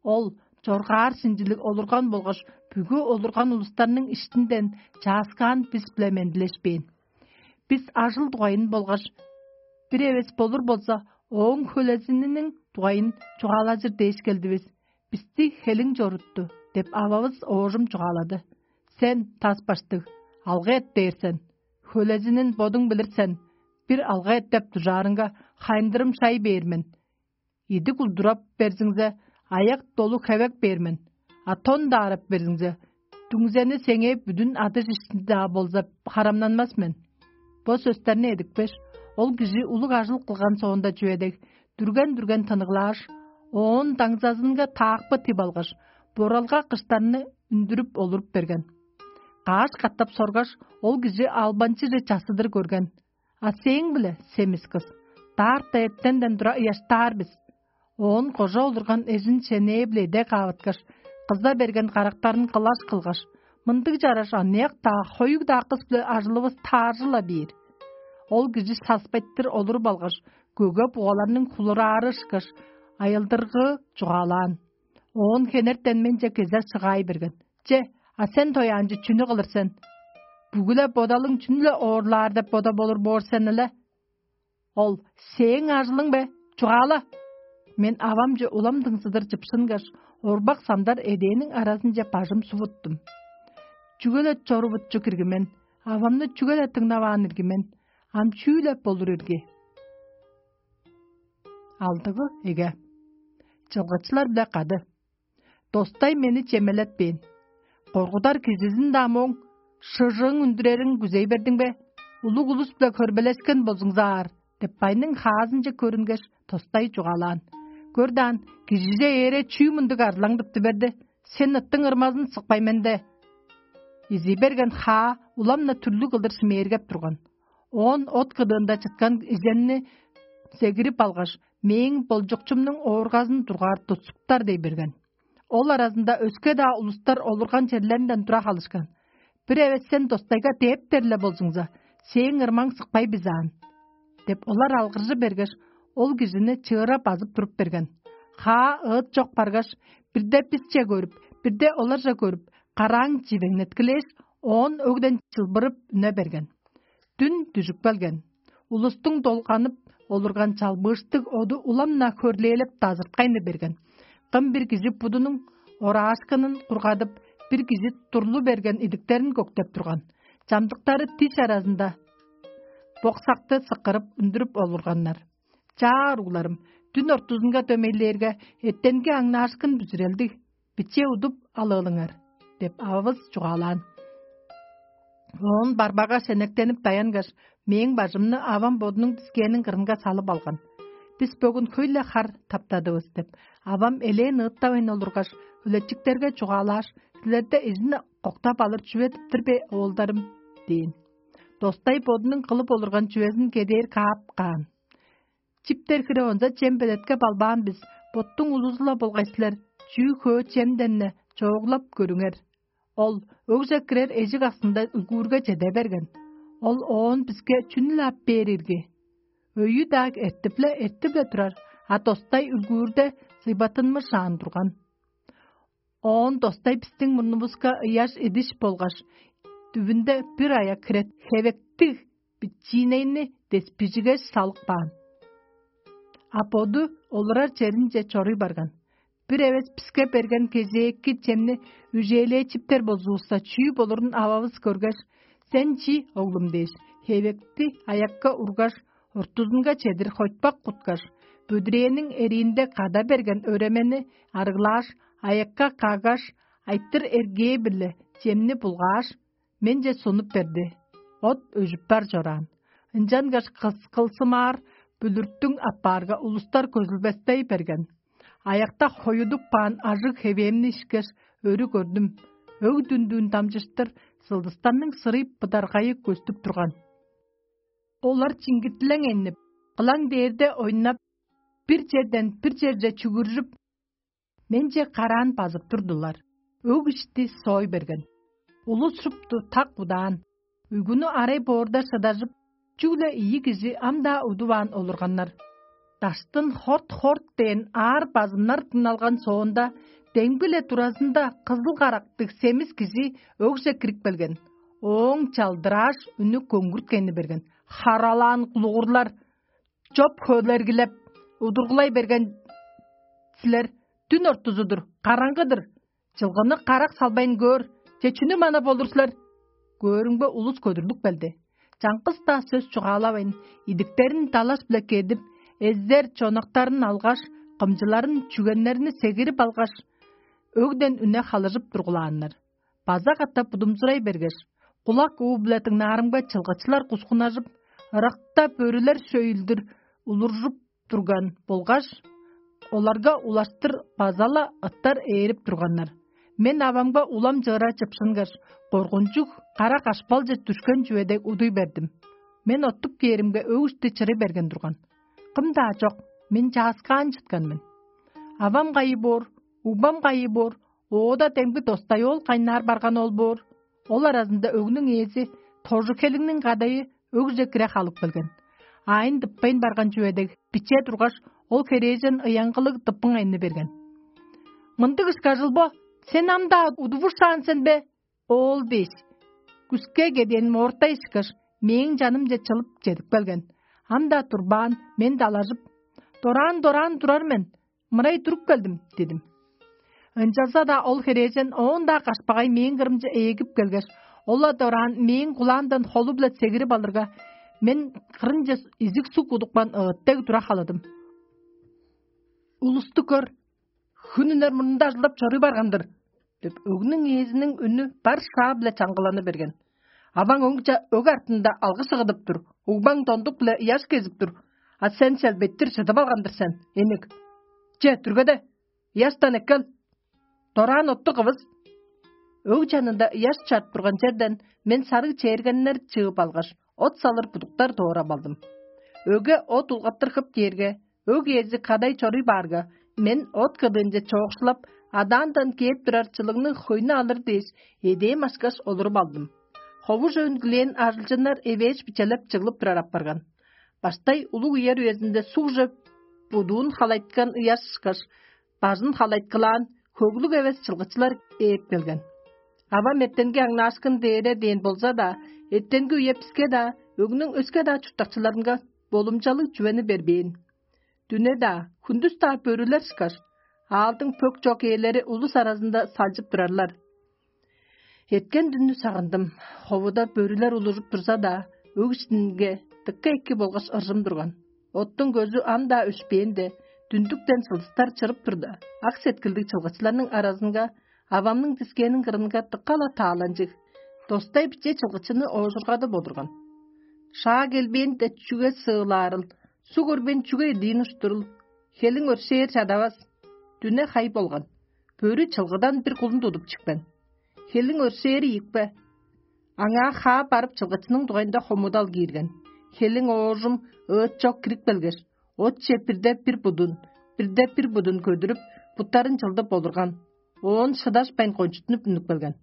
Ол чоргаар шинчилиг олурган болгаш, бүгү олурган улустарның иштинден чааскаан бис-биле мендилешпээн. Бис ажыл дугайын болгаш, бир эвес болур болза, ооң хөлезининиң дугайын чугаалажыр дээш келдивис. Бисти хелиң чорутту деп, ававыс оожум чугаалады. Сен, тас баштыг, алгы эт дээр сен. Хөлезинин бодуң билир сен. Бир алгы эт деп дужаарыңга, хайындырым шай бээр мен. Идик улдурап берзиңзе, аяк долу хевек бээр мен. А тон даарап берзиңзе, дүңзени сеңээ бүдүн адыш ишти-даа болза, харамнанмас мен. Бо сөстерни эдипкеш, ол кижи улуг ажыл кылган соонда чүве дег, дүрген-дүрген тыныглааш, оон даңзазынга таакпы тип алгаш, боралга кыштарны үндүрүп олуруп берген. Каш катап соргаш, ол кижи албанчыже чассыдыр көрген. А сээң-биле, семис кыс, даарта эртенден тура ыяштаар бис. Оон кожа олурган эжин шенээ-биле эде каавыткаш, кыза берген карактарын кылаш кылгаш, мындыг чараш аныяк-даа, хоюг-даа кыс-биле ажылывыс тааржы-ла бээр. Ол кижи саспайтыр олуруп алгаш, көге бугаларның хулураары ышкаш, айылдыргыы чугаалаан. Оон хенертен менче кезер шыгаай берген. Че, а сен тояанчы чүнү кылыр сен? Бүгү-ле бодалың чүнү-ле оорлаар деп бодап олур боор сен эле? Ол: «Сээң ажылың бе? Чугаала!» Мен авамче улам дыңзыдыр чыпшынгаш, орбак самдар эдээниң аразынче бажым сувуттум. Чүге-ле чорувутчу кирги мен, авамны чүге-ле дыңнаваан ирги мен, ам чүү-ле болур ирги? Алдыгы эге. Чылгычылар-биле кады. Достай мени чемелетпээн. Коргудар кижизин-даа мооң: «Шыжыың үндүрерин күзей бердиң бе? Улуг улус-биле хөрбелешкен болзуңзаар» — деп, байның хаазынче көрүнгеш, тостай чугаалаан. Көр даан, кижиже ээре чүү мындыг арзылаң тыптып берди? Сен ыттың ырмазын сыкпай менде. Изий берген хаа улам-на түрлүг кылдыр шимээргеп турган. Оон от кыдыында чыткан иземни сегирип алгаш, мээң болчукчумнуң ооргазын дургаар тутсуптар дей берген. Ол аразында өске-даа улустар олурган черлеринден тура халышкан. Бир эвес сен достайга дээптер-ле болзуңза, сээң ырмаң сыкпай бизаан. Деп олар алгыржы бергеш, ол кижини чыыра базып туруп берген. Хаа ыыт чок баргаш, бирде бисче көрүп, бирде оларже көрүп, карааң чивеңнеткилээш, оон өгден чылбырып үне берген. Дүн дүжүп келген. Улустуң долганып олурган чалбыыштыг оду улам-на хөрлээлеп дазырткайны берген. Кым бир кижи будунуң ораашкынын кургадып, бир кижи турлу берген идиктерин көктеп турган. чамдыктары диш аразында боксакты сыккырып үндүрүп олурганнар. «Чаа, уругларым, дүн ортузунга дөмейлээрге, эртенги аңнаашкын бүзүрелдиг, биче удуп алыылыңар» – деп ававыс чугаалаан. Оон барбага шенектенип даянгаш, мээң бажымны авам бодунуң дискээниң кырынга салып алган. «Бис бөгүн хөй-ле хар таптадывыс» – деп, авам элээн ыыттавайн олургаш, үлечиктерге чугаалааш: «Силерде изин коктап алыр чүве-дир бе, оолдарым?» – дээн. Достай бодунуң кылып олурган чүвезин кедээр каап каан. «Чиптер хире онза чем белеткеп албаан бис, боттуң улузу-ла болгай силер, чүү хөө чемден-не чооглап көрүңер». Ол өгже кирер эжик аксында үлгүүрге чеде берген. Ол оон биске чүнү-ле ап бээр ирги? Өйү-даа эртип-ле, эртип-ле турар, а достай үлгүүрде зыйбаттынмышаан турган. Оон достай бистиң мурнувуска ыяш идиш болгаш, дүвүнде бир аяк хирет хевектиг бичиинейни деспижигеш салып каан. А боду олурар черинче чоруй барган. Бир эвес биске берген кезээки чемни үжээлээчиптер болзувусса, чүү болурун ававыс көргеш: «Сен чи, оглум?» – дээш, хевекти аякка ургаш, ортузунга чедир хойтпак куткаш, бүдүрээниң эриинде када берген өремени арыглааш, аякка каггаш, айтыр эргээ-биле чемни булгааш, менче сунуп берди. От өжүп бар чораан. Ынчангаш кыс-, кылсымаар бүлүрттүң аппаарга улустар көзүлбестей берген. Аякта хоюдуп каан ажыг хевээмни ишкеш, өрү көрдүм. Өг дүндүүн дамчыштыр сылдыстарның сырый быдаргайы көстүп турган. Олар чиңгиттилең эннип, кылаң дээрде ойнап, бир черден бир черже чүгүржүп, менче караан базып турдулар. Өг ишти соой берген. Улус шупту так удаан. Уйгуну арай боорда шыдажып, чүгле ийи кижи ам-даа удуваан олурганнар. Даштын хорт-хорт дээн аар базымнар дыңналган соонда, демги-ле туразында кызыл карактыг семис кижи өгже кирип келген. Ооң чалдырааш, үнү көңгүрткени берген: «Харалаан кулугурлар, чоп хөлергилеп, удургулай берген силер. Дүн ортузу-дур, караңгы-дыр. Чылгыны карак салбайн көөр, че чүнү манап олур силер? Көөрүңбе, улус көдүрлүп келди. Чаңгыс-даа сөс чугаалавайн, идиктерин далаш-биле кедип, эзер чонактарын алгаш, кымчыларын, чүгеннерни сегирип алгаш, өгден үне халыжып тургулааннар. База катап будумзурай бергеш, кулак уу-биле дыңнаарымга, чылгычылар кускунажып, ыракта бөрүлер шөйүлдүр улуржуп турган болгаш, оларга улаштыр база-ла ыттар ээрип турганнар. Мен авамга улам чыыра чыпшынгаш, коргунчуг кара кашпалче дүшкен чүве дег удуй бердим. Мен оттуп кээримге, өг ишти чырый берген турган. Кым-даа чок, мен чааскаан чыткан мен. Авам кайы боор, угбам кайы боор, оода демги достай оол кайнаар барган ол боор. Ол аразында өгнүң ээзи, тожу-хелиңниң кадайы, өгже кире халып келген. Аайын тыппайн барган чүве дег, биче тургаш, ол херээжен ыяңгылыг тыппың айны берген. «Мындыг ышкажыл бо, сен ам-даа удувушаан сен бе, оол?» – дээш, күске кеден моортай ышкаш, мээң чанымче чылып чедип келген. Ам-даа турбаан, мен далажып: «Дораан-дораан турар мен, мырай туруп келдим» – дидим. Ынчалза-даа ол херээжен оон-даа кашпагай мээң кырымче эгип келгеш, ол-ла дораан мээң кулаамдан холу-биле сегирип алырга, мен кырынче изиг суг удупкан ыыт дег тура халадым. «Улусту көр, хүн үнер мурнунда ажылдап чоруй барган-дыр» – деп, өгнүң ээзиниң үнү бар шаа-биле чаңгыланы берген. «Аваң өңче өг артында алгы сыгыдып тур, угбаң дондук-биле ыяш кезип тур, а сен челбеттир чыдып алган-дыр сен, эник. Че, дүргеде, ыяштан эккел. Дораан отту кывыс». Өг чанында ыяш чарып турган черден мен сарыг чээргеннер чыып алгаш, от салыр будуктар доорап алдым. Өге от улгаттыр хып дээрге, өг ээзи кадай чоруй баарга, мен от кыдыынче чоокшулап, адаандан кээп турар чылыгның хөйнү алыр дээш, эдээн ашкаш олуруп алдым. Хову чөөн килээн ажылчыннар эвээш бичелеп чыглып турар апарган. Баштай улуг үер үезинде сугже будуун халайткан ыяш ышкаш, бажын халайткылаан, хөглүг эвес чылгычылар ээп келген. Авам эртенги аңнаашкын дээре дээн болза-даа, эртенги үе биске-даа, өгнүң өске-даа чурттакчыларынга болумчалыг чүвени бербээн. Дүне-даа, хүндүс-даа бөрүлер ышкаш, аалдың пөк чок ээлери улус аразында салчып турарлар. Эрткен дүннү сагындым. Ховуда бөрүлер улужуп турза-даа, өг иштинге дыка эки болгаш ыржым турган. Оттуң көзү ам-даа өшпээнде, дүндүктен сылдыстар чырып турда, ак сеткилдиг чылгычыларның аразынга авамның дискээнин кырынга дыка-ла тааланчыг, достай биче чылгычыны оожургадып олурган. Шаа келбээнде чүге сыылаарыл, суг өрбен чүге илиин уштурул, хелиң өршээр чадавас. Дүне хай болган. Бөрү чылгыдан бир кулун тудуп чикпен. Хелиң өршээри ийикпе? Аңаа хаа барып чылгычының дугайында хомудал киирген. Хелиң оожум ыыт чок кирип келгеш, отче бирде бир будун, бирде бир будун көдүрүп, буттарын чылдып олурган. Оон шыдашпайн кончуттунуп үнүп келген.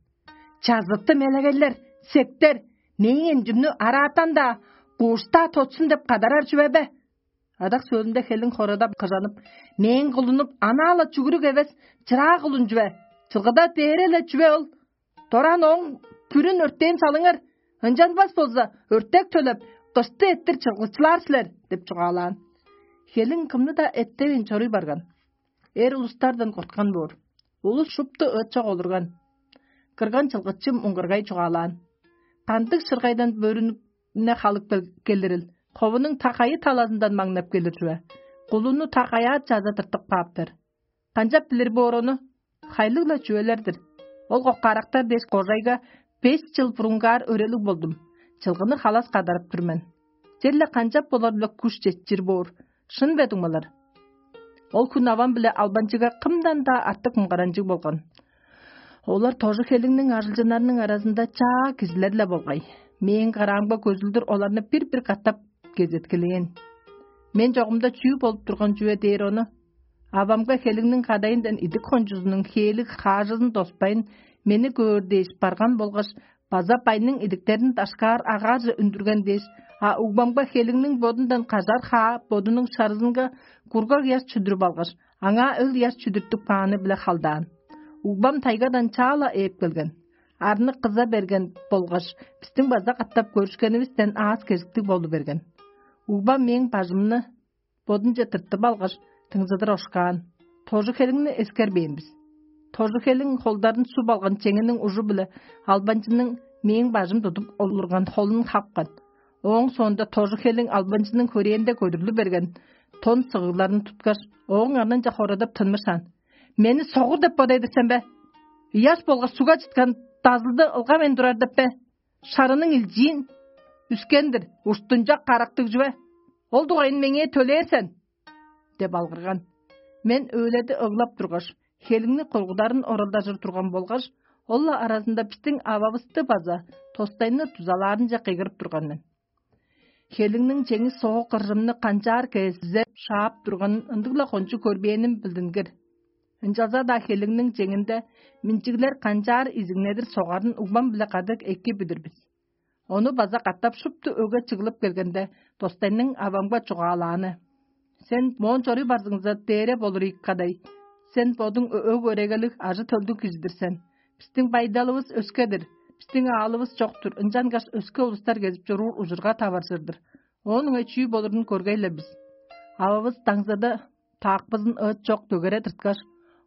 «Чазыттым элегейлер, сектер, мээң эмчимни араатан-даа, куушта тотсун деп кадарар чүве бе?» Адак сөөлүнде хелиң хорадап кыжанып: «Мээң кулунуп, анаа-ла чүгүрүк эвес, чыраа кулун чүве? Чылгыда дээре-ле чүве ол? Дораан ооң бүрүн өртээн салыңар, ынчанмас болза, өртек төлеп, дышты эттир чылгычылаар силер» – деп чугаалаан. Хелиң кымны-даа эттевейн чоруй барган. Эр улустардан корткан боор. Улус шупту ыт чок олурган. Кырган чылгычы муңгаргай чугаалаан: «Кандыг шыргайдан бөрүнү халып кел- келирил? Ховунуң та кайы талазындан маңнап келир чүве? Кулуну та каяа чаза тыртып кааптар? Канчап билир боор ону? Хайлыг-ла чүвелер-дир. Ол коккаарактар дээш кожайга бес чыл бурунгаар өрелиг болдум. Чылгыны халас кадарып тур мен. Черле канчап болар-биле куш четчир боор? Шын бе, дуңмалар?» Ол хүн авам биле албанчыга кымдан-даа артык муңгаранчыг болган. Олар тожу хелиңниң ажылчыннарының аразында чаа кижилер-ле болгай. Мээң караамга көзүлдүр оларны бир-бир катап кезеткилээн. Мен чогумда чүү болуп турган чүве дээр ону? Авамга хелиңниң кадайындан идик кончузунуң хээлиг хаажызын доспайн, мени көөр дээш барган болгаш, база байның идиктерин дашкаар агаарже үндүрген дээш, а угбамга хелиңниң бодундан кажар хаа бодунуң шарызынга кургаг ыяш чүдүрүп алгаш, аңаа ыл ыяш чүдүртүп кааны-биле халдаан. Угбам тайгадан чаа-ла ээп келген. Арны кыза берген болгаш, бистиң база катап көрүшкенивистен аас-кежиктиг болу берген. Угбам мээң бажымны бодунче тыртып алгаш, тыңзыдыр ошкаан. Тожу хелиңни эскербээн бис. Тожу хелиң холдарын суп алган чеңиниң ужу-биле албанчының мээң бажым тудуп олурган холун хапкан. Ооң соонда тожу хелиң албанчының хөрээнде көдүрлү берген тон сыгыгларын туткаш, ооң арнынче хорадап тынмышаан: «Мени согур деп бодайдыр сен бе? Ыяш болгаш сугга чыткан дазылды ылгавайн турар деп бе? Шарының илчиин, үскен-дир, уштунчак карактыг чүве. Ол дугайын меңээ төлээр сен» – деп алгырган. Мен өледи ыглап тургаш, хелиңни кургударын оралдажыр турган болгаш, ол-ла аразында бистиң ававысты база тостайны дузалаарынче кыйгырып турган мен. Хелиңниң чеңи соок кыржымны канчаар кезизе шаап турганын ындыг-ла кончуг көрбээним билдингир. Ынчалза-даа хелиңниң чеңинде минчиглер канчаар изиңнедир согарын угбам-биле кады эки билир бис. Ону база катап шупту өгге чыглып келгенде, достайның авамга чугаалааны: «Сен моон чоруй барзыңза, дээре болур ийик кадай. Сен бодуң өг-өрегелиг, ажы-төлдүг кижи-дир сен. Бистиң байдалывыс өске-дир, бистиң аалывыс чок-тур, ынчангаш өске улустар кезип чоруур ужурга таваржыр-дыр. Оон ыңай чүү болурун көргей-ле бис». Ававыс даңзада таакпызын ыыт чок дөгере тырткаш,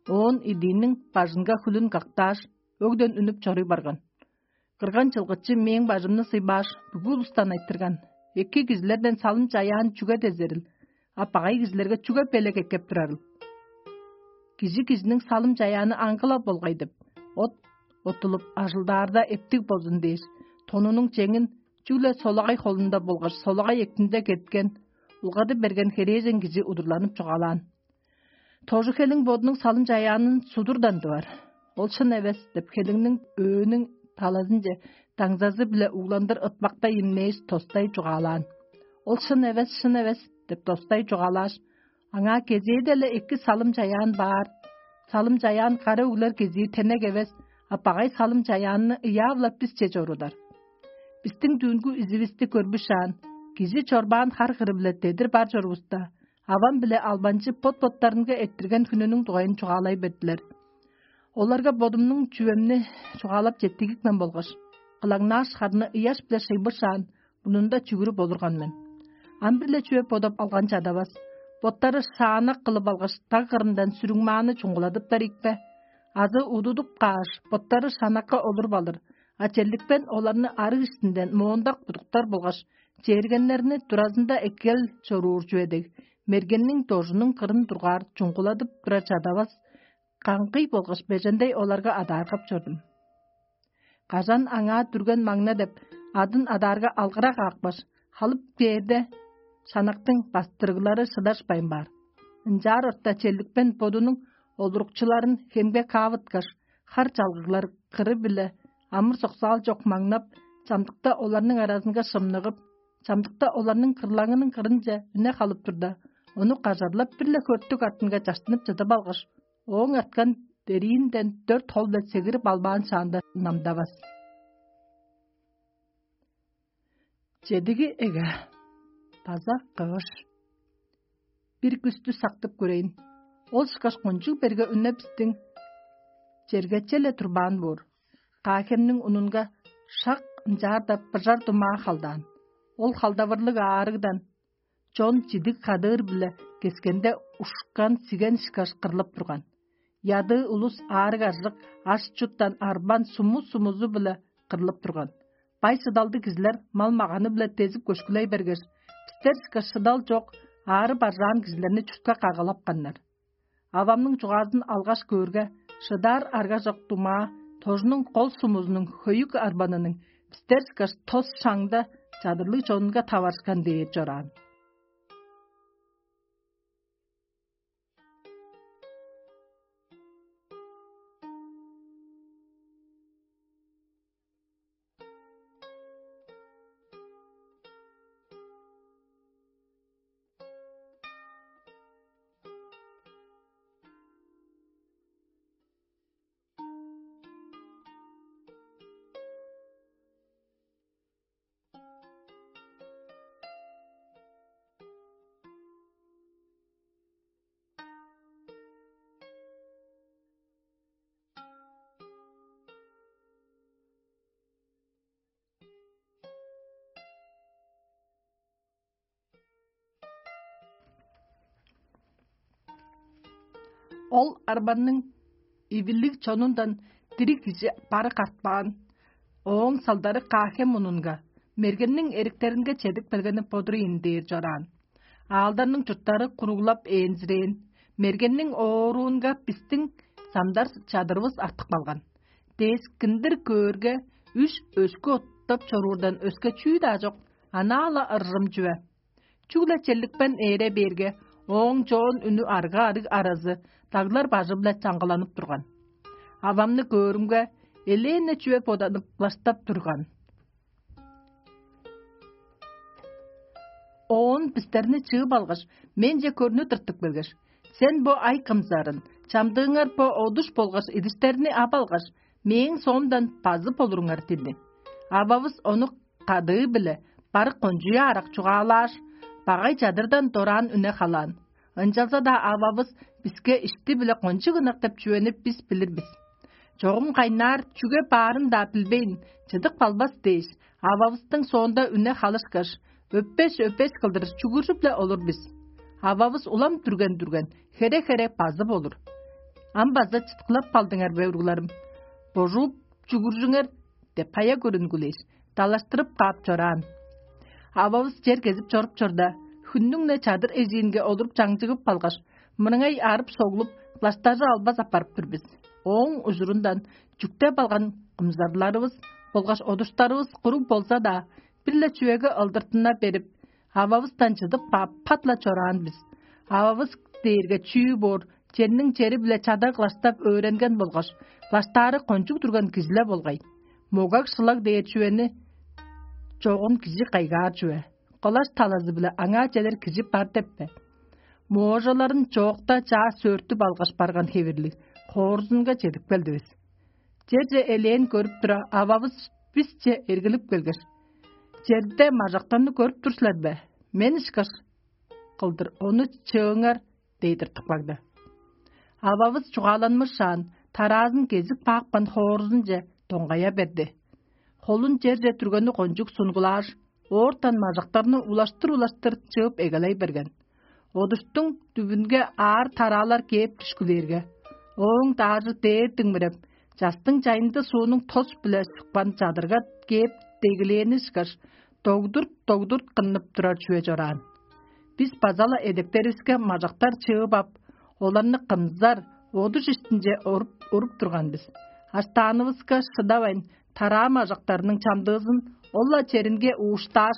оон идиинниң бажынга хүлүн кактааш, өгден үнүп чоруй барган. Кырган чылгычы мээң бажымны сыйбааш, бүгү улустан айтырган: «Эки кижилерден салым-чаяан чүге дезерил, а багай кижилерге чүге белек эккеп турарыл? Кижи кижиниң салым-чаяаны аңгы-ла болгай деп, от оттулуп ажылдаарда эптиг болзун дээш, тонунуң чеңин чүгле солагай холунда болгаш солагай эктинде кеткен, улгады берген херээжен кижи удурланып чугаалаан. Тожу хелиң бодунуң салым-чаяанын судурдан дывар. Ол шын эвес деп, хелиңниң өөнүң талазынче даңзазы-биле угландыр ытпактай имнээш, тостай чугаалаан. Ол шын эвес, шын эвес деп, тостай чугаалааш, аңаа кезээде-ле эки салым-чаяан баар. Салым-чаяан кара өглер кезии тенек эвес, а багай салым-чаяанны ыяап-ла бисче чорудар. Бистиң дүүнгү изивисти көрбүшаан, кижи чорбаан хар кыры-биле дедир бар чорувуста, авам биле албанчы бот-боттарынга эрттирген хүнүнүң дугайын чугаалай бердилер. Оларга бодумнуң чүвемни чугаалап четтигипкен болгаш, кылаңнааш, харны ыяш-биле шыйбышаан, мурнунда чүгүрүп олурган мен. Ам бир-ле чүве бодап алган чадавас. Боттары шаанак кылып алгаш, даг кырындан сүрүңмааны чуңгуладыптар ийикпе? азы удудуп кааш, боттары шанакка олуруп алыр, а черликпен оларны арыг иштинден моондак будуктар болгаш чээргеннерни туразында эккел чоруур чүве дег, мергенниң дожунуң кырын дургаар чуңгуладып турар чадавас, каңгый болгаш бежендей оларга адааргап чордум. Кажан аңаа дүрген маңна деп адын адаарга алгыра каапкаш, халып кээрде, шанактың бастырыглары шыдашпайн баар. Ынчаар орта черликпен бодунуң олурукчуларын хемге каавыткаш, хар чалгыглар кыры-биле амыр-соксаал чок маңнап, чамдыкта оларның аразынга шымныгып, чамдыкта оларның кырлаңының кырынче үне халып турда, ону кажарлап, бир-ле хөртүк артынга чаштынып чыдып алгаш, ооң арткан дериинден дөрт хол-биле сегирип албаан шаанда намдавас. Чедиги эге база кыш. Бир күстү сактып көрейн. Ол ышкаш кончуг берге үнне бистиң чергече-ле турбаан боор. Каахемниң унунга шак ынчаарда быжар думаа халдаан. Ол халдавырлыг аарыгдан чон чидиг кадыыр-биле кескенде ушкан сиген ышкаш кырлып турган. Ядыы улус аарыг-аржык, аш-чуттан арбан суму-сумузу-биле кырлып турган. Бай-шыдалдыг кижилер мал-маганы-биле дезип көшкүлей бергеш, бистер ышкаш шыдал чок, аарып-аржаан кижилерни чуртка кагалапканнар. Авамның чугаазын алгаш көөрге, шыдаар аргажок думаа тожунуң кол сумузунуң хөйүк арбаныының бистер ышкаш тос шаңда чадырлыг чонунга таварышкан дээр чораан. Ол арбанның ивилиг чонундан дириг кижи бары картпаан. Ооң салдары Каахем мунунга, мергенниң эриктеринге чедип келгени бодур ийин дээр чораан. Аалдарның чурттары куруглап ээнзирээн, мергенниң ооруунга бистиң самдар чадырывыс артып калган. Дескиндир көөрге, үш өскү оттап чоруурдан өске чүү-даа чок, анаа-ла ыржым чүве. Чүгле черликпен ээре бээрге, ооң чоон үнү арга-арыг аразы даглар бажы-биле чаңгыланып турган. Авамны көөрүмге, элээн-не чүве боданып, баштап турган. Оон бистерни чыып алгаш, менче көрнү тыртып келгеш: «Сен бо ай кымзарын, чамдыыңар бо одуш болгаш идиштерни ап алгаш, мээң соомдан базып олуруңар» диди. Ававыс ону кадыы-биле барык кончуя арак чугаалааш, багай чадырдан дораан үне халаан. Ынчалза-даа ававыс биске ишти-биле кончуг ынак деп чүвени бис билир бис. Чогум кайнаар чүге баарын-даа билбейн, чыдып калбас дээш, ававыстың соонда үне халышкаш, өппеш-өппеш кылдыр чүгүржүп-ле олур бис. Ававыс улам дүрген-дүрген, хере-хере базып олур. Ам база чыткылап калдыңар бе, уругларым? Божууп чүгүржүңер деп, хая көрүнгүлээш, далаштырып каап чораан. Ававыс чер кезип чоруп чорда, хүннүң-не чадыр эжиинге олуруп чаңчыгып калгаш, мырыңай арып-соглуп, кылаштажы албас аппарып тур бис. Ооң ужурундан чүктеп алган кымзарларывыс болгаш одуштарывыс куруг болза-даа, бир-ле чүвеге ылдыртына берип, ававыстан чыдып каап, пат-ла чораан бис. Ававыс дээрге чүү боор, черниң чери-биле чадаг кылаштап өөренген болгаш, кылаштаары кончуг турган кижи-ле болгай. Могаг-шылаг дээр чүвени чогун кижи кайгаар чүве. Кылаш талазы-биле аңаа чедер кижи бар деп бе? Моожаларын чоокта чаа сөөртүп алгаш барган хевирлиг, хоорузунга чедип келдивис. Черже элээн көрүп тура, ававыс бисче эргилип келгеш: «Черде мажактарны көрүп тур силер бе? Мен ышкаш кылдыр ону чыыңар» — дей тыртып кагды. Ававыс чугааланмышаан, тараазын кезип каапкан хоорузунче доңгая берди. Холун черже түргени кончуг сунгулааш, оортан мажактарны улаштыр-улаштыр чыып эгелей берген. Одуштуң дүвүнге аар тараалар кээп дүшкүлээрге, Ооң даажы дээр диңмиреп, частың чайында суунуң тос-биле шукпан чадырга кээп дегилээни ышкаш, догдурт-догдурт кыннып турар чүве чораан. Бис база-ла эдектеривиске мажактар чыып ап, оларны кымзар, одуш иштинче оруп, уруп турган бис. Аштаанывыска шыдавайн, тараа мажактарының чамдыызын ол-ла черинге ууштааш,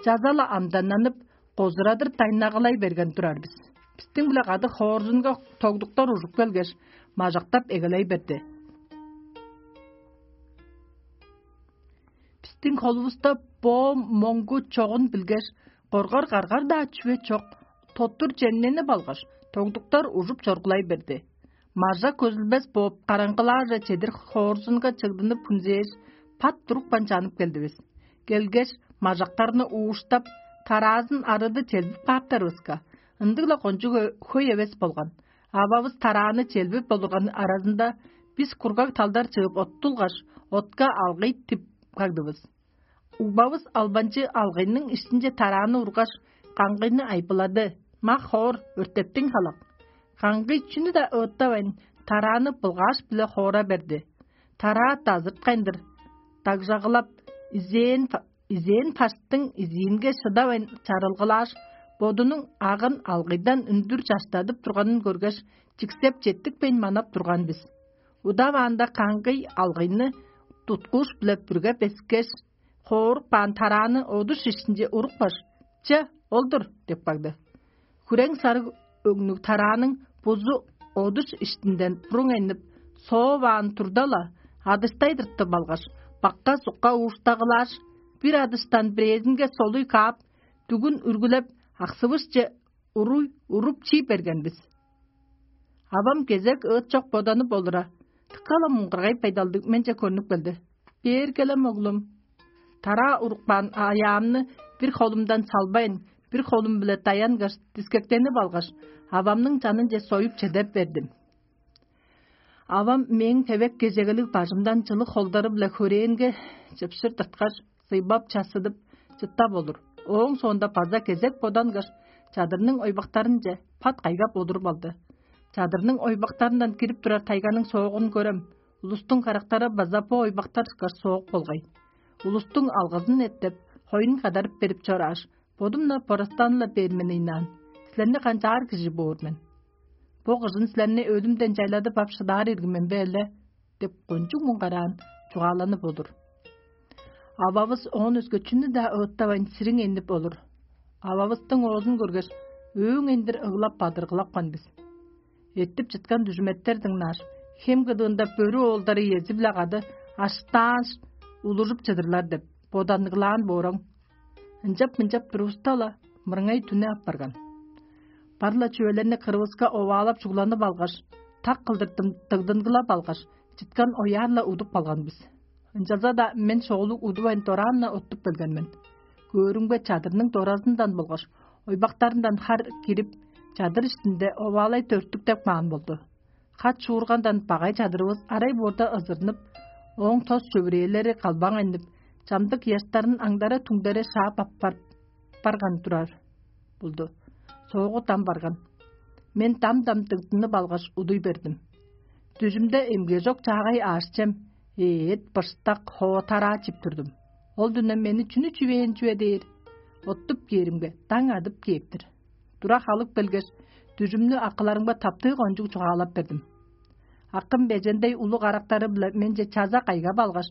чаза-ла амданнанып, козурадыр дайнагалай берген турар бис. Бистиң-биле кады хоорзунга тогдуктар ужуп келгеш, мажактап эгелей берди. Бистиң холувуста бо моңгу чогун билгеш, коргар-каргар-даа чүве чок, тоттур чемненип алгаш, тогдуктар ужуп чоргулай берди. Мажа көзүлбес бооп, караңгылааже чедир хоорзунга чыгдынып хүнзээш, пат турупкан чанып келдивис. Келгеш, мажактарны ууштап, тараазын арыды челбип кааптарывыска, ындыг-ла кончуг хөй эвес болган. Ававыс тарааны челбип олурган аразында, бис кургаг талдар чыып оттулгаш, отка алгый тип кагдывыс. Угбавыс албанчы алгыйның иштинче тарааны ургаш, каңгыйны айбылады: «Мах хоор, өртептиң халак». Каңгый чүнү-даа ыыттавайн, тарааны былгааш-биле хоора берди. Тараа дазырткайндыр, дагжагылап, изээн, изээн паштың изиинге шыдавайн чарылгылааш, бодунуң агын алгыйдан үндүр чаштадып турганын көргеш, чиксеп четтикпейн манап турган бис. Удаваанда каңгый алгыйны туткууш-биле бүрге бескеш, хоорук баан тарааны одуш иштинче урупкаш: «Че, ол-дур» – деп кагды. Хүрең сарыг өңнүг тарааның бузу одуш иштинден буруң айнып, сооваан турда-ла, адыштай тыртып алгаш, бакка-сукка ууштагылааш, бир адыштан бирээзинге солуй каап, дүгүн үргүлеп, аксывышче уруй уруп чий берген бис. Авам кезек ыыт чок боданып олура, дыка-ла муңгаргай байдалдыг менче көрнүп келди. «Бээр келем, оглум». Тараа урупкаан аяамны бир холумдан салбайн, бир холум-биле даянгаш, дискектенип алгаш, авамның чанынче союп чедеп бердим. Авам мээң тевек кежегелиг бажымдан чылыг холдары-биле хөрээнге чыпшыр тырткаш, сыйбап, чассыдып, чыттап олур. Ооң соонда база кезек бодангаш, чадырның ойбактарынче пат кайгап олуруп алды. Чадырның ойбактарындан кирип турар тайганың соогун көрем, улустуң карактары база бо ойбактар ышкаш соок болгай. Улустуң алгызын эттеп, хоюн кадарып берип чорааш, бодум-на борастаан-ла бээр мен ыйнаан: «Силерни канчаар кижи боор мен? Бо кыжын силерни өлүмден чайладып ап шыдаар ирги мен бе эле?» – деп кончуг муңгараан чугааланып олур. Ававыс оон өске чүнү-даа ыыттавайн, сириң энип олур. Ававыстың оозун көргеш, өөң эндир ыглап-бадыргылапкан бис. Эртип чыткан дүжүметтер дыңнааш, хем кыдыында бөрү оолдары иези-биле кады аштааш, улужуп чыдырлар деп боданныглаан бооруң. Ынчап-мынчап турувуста-ла, мырыңай дүне апарган. Бар-ла чүвелерни кырывыска оваалап чугланып алгаш, так кылдыр дым-, дыгдынгылап алгаш, чыткан ояар-ла удуп калган бис. Ынчалза-даа мен шоолуг удувайн дораан-на оттуп келген мен. Көөрүмге, чадырның доразындан болгаш ойбактарындан хар кирип, чадыр иштинде оваалай төрүттүктеп каан болду. Хат шуургандан багай чадырывыс арай боорда ызырнып, ооң тос чөвүрээлери калбаң айнып, чамдык ыяштарын аңдара-түңдере шаап аппарып барган турар болду. Соогу дам барган. Мен дам-дам дыңзынып алгаш, удуй бердим. Дүжүмде эмгежок чаагай аъш-чем, эът, быштак, хоо, тараа чип турдум. Ол дүне мени чүнү чүвээн чүве дээр? Оттуп кээримге, даң адып кээп-тир. Тура халып келгеш, дүжүмнү акыларымга таптыы кончуг чугаалап бердим. Акым бежендей улуг арактары-биле менче чаза кайгап алгаш,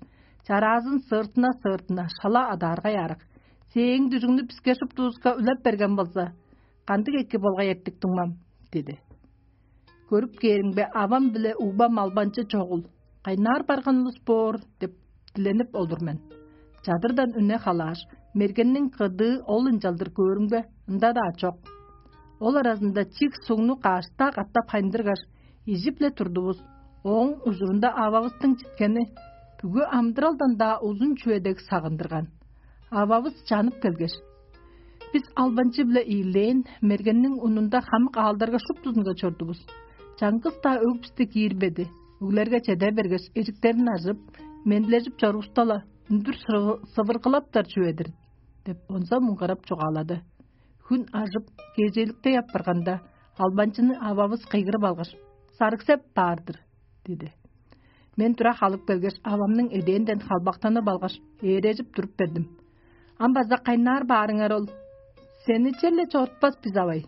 чараазын сыыртына-сыыртына шала адааргай аарак: «Сээң дүжүңнү биске шуптувуска үлеп берген болза, кандыг эки болгай эртик, дуңмам?» – диди. Көрүп кээримге, авам биле угбам албанчы чогул, кайнаар барган улус боор деп диленип олур мен. Чадырдан үне халааш, мергенниң кыдыы ол ынчалдыр көөрүмге, ында-даа чок. Ол аразында чиг сугну каашта катап хайындыргаш, ижип-ле турдувус. Ооң ужурунда ававыстың читкени бүгү амыдыралдан-даа узун чүве дег сагындырган. Ававыс чанып келгеш: «Бис албанчы-биле ийилээн, мергенниң унунда хамык аалдарга шуптузунга чордувус. Чаңгыс-даа өг бисти киирбеди. Өглерге чеде бергеш, эжиктерин ажып, мендилежип чорувуста-ла, үндүр сывыргылаптар чүве-дир» – деп, онза муңгарап чугаалады. Хүн ажып, кежээликтей апарганда, албанчыны ававыс кыйгырып алгаш: сарыксеп баар-дыр» – диди. Мен тура халып келгеш, авамның эдээнден халбактанып алгаш, ээрежип туруп бердим. «Ам база кайнаар баарыңар ол? Сени черле чорутпас бис, авай».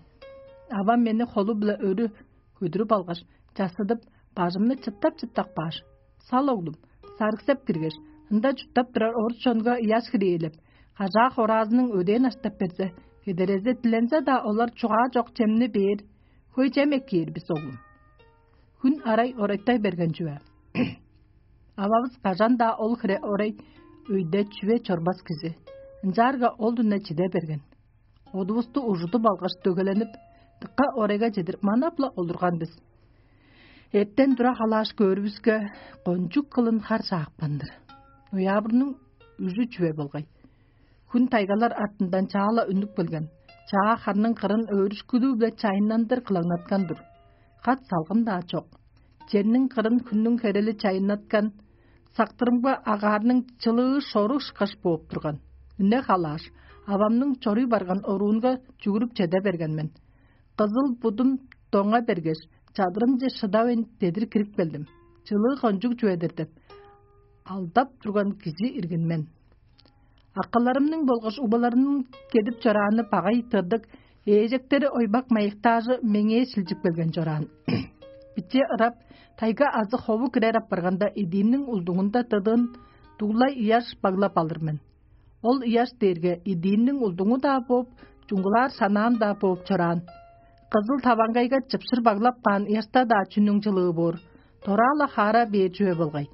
Авам мени холу-биле өрү көдүрүп алгаш, чассыдып, бажымны чыттап-чыттап кааш: «Сал, оглум, сарыксеп киргеш, ында чурттап турар орус чонга ыяш хиреелеп, кажаа-хораазының өдээн аштап берзе, кедерезе дилензе-даа, олар чугаа чок чемни бээр, хөй чем эккээр бис, оглум». Хүн арай орайтай берген чүве. Ававыс кажан-даа ол хире орай өйде чүве чорбас кижи. Ынчаарга ол дүне чиде берген. Одувусту ужудуп алгаш, дөгеленип, дыка орайга чедир манап-ла олурган бис. Эртен тура халааш көөрүвүске, кончуг кылын хар чаапкан-дыр. Ноябрьның үжү чүве болгай. Хүн тайгалар артындан чаала үнүп келген. Чаа харның кырын өөрүшкүлүү-биле чайыннандыр кылаңнаткан-дыр. Кат салгын-даа чок. Черниң кырын хүннүң херели чайыннаткан, сактырымга агаарның чылыы шору ышкаш бооп турган. Үне халааш, авамның чоруй барган оруунга чүгүрүп чеде берген мен. Кызыл будум доңа бергеш, чадырымче шыдавайн дедир кирип келдим. Чылыы кончуг чүве-дир деп, алдап турган кижи иргин мен. Акыларымның болгаш убаларымның кедип чорааны багай тырдык, ээжектери ойбак майыктаажы меңээ шилчип келген чораан. Биче ырап, тайга азы хову кирер апарганда, идиимниң улдуңунда тыдыын дуглай ыяш баглап алыр мен. Ол ыяш дээрге идиимниң улдуңу-даа бооп, чуңгулаар санаам-даа бооп чораан. Кызыл таваңгайга чыпшыр баглап каан ыяшта-даа чүнүң чылыы боор, дораа-ла хаара бээр чүве болгай.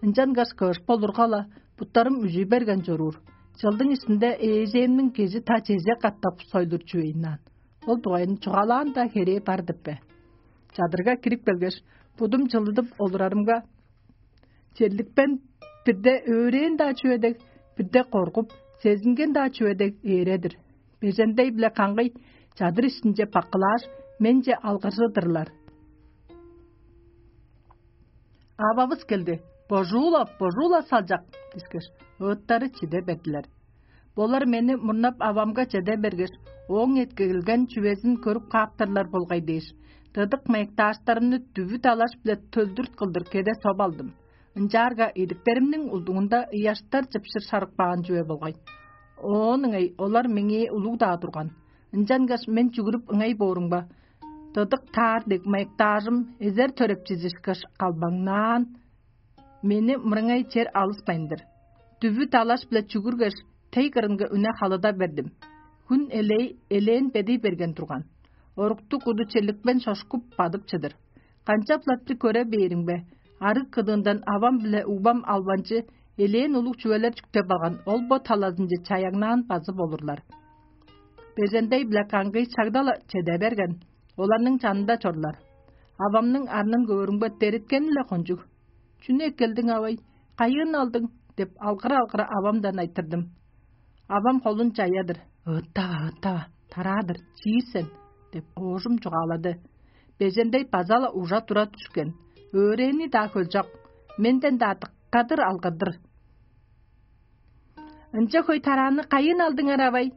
Ынчангаш кыш болурга-ла, буттарым үжүй берген чоруур. Чылдың иштинде ээжээмниң кежи та чеже катап сойлур чүвейн аан. Ол дугайын чугаалаан-даа херээ бар деп бе? Чадырга кирип келгеш, будум чылыдып олурарымга, черликпен бирде өөрээн-даа чүве дег, бирде коргуп, сезинген-даа чүве дег ээре-дир. Бежендей-биле каңгый чадыр иштинче баккылааш, менче алгыржыдырлар. «Ававыс келди, божуула, божуула, салчак» – дискеш, ыыттары чиде бердилер. Болар мени мурнап авамга чеде бергеш, ооң эккелген чүвезин көрүп кааптарлар болгай дээш, тыдык мыяктааштарымны дүвү далаш-биле төлдүрт кылдыр кеде соп алдым. Ынчаарга идиктеримниң улдуңунда ыяштар чыпшыр шарып каан чүве болгай. Оон ыңай олар меңээ улуг-даа турган. Ынчангаш мен чүгүрүп ыңай боорумга, тыдык таар дег мыяктаажым эзер төрепчизи ышкаш калбаңнаан, мени мырыңай чер алыспайн-дыр. Дүвү далаш-биле чүгүргеш, тей кырынга үне халыда бердим. Хүн элей элээн бедий берген турган. Оруктуг куду черликпен чошкуп бадып чыдыр. Канчап-ла бир көре бээримге, арыг кыдыындан авам биле угбам албанчы элээн улуг чүвелер чүктеп алган ол бо талазынче чаяңнаан базып олурлар. Бежендей-биле каңгый чагда-ла чеде берген, оларның чанында чорлар. Авамның арнын көөрүмге, дереткени-ле кончуг. «Чүнү эккелдиң, авай? Кайыын алдың?» – деп, алгыра-алгыра авамдан айтырдым. Авам холун чая-дыр: «Ыыттава, ыыттава, тараа-дыр, чиир сен» – деп, оожум чугаалады. Бежендей база-ла ужа тура дүшкен. Өөрээни-даа хөлчок, менден-даа дыккадыр алгырдыр: «Ынча хөй тарааны кайыын алдыңар, авай?»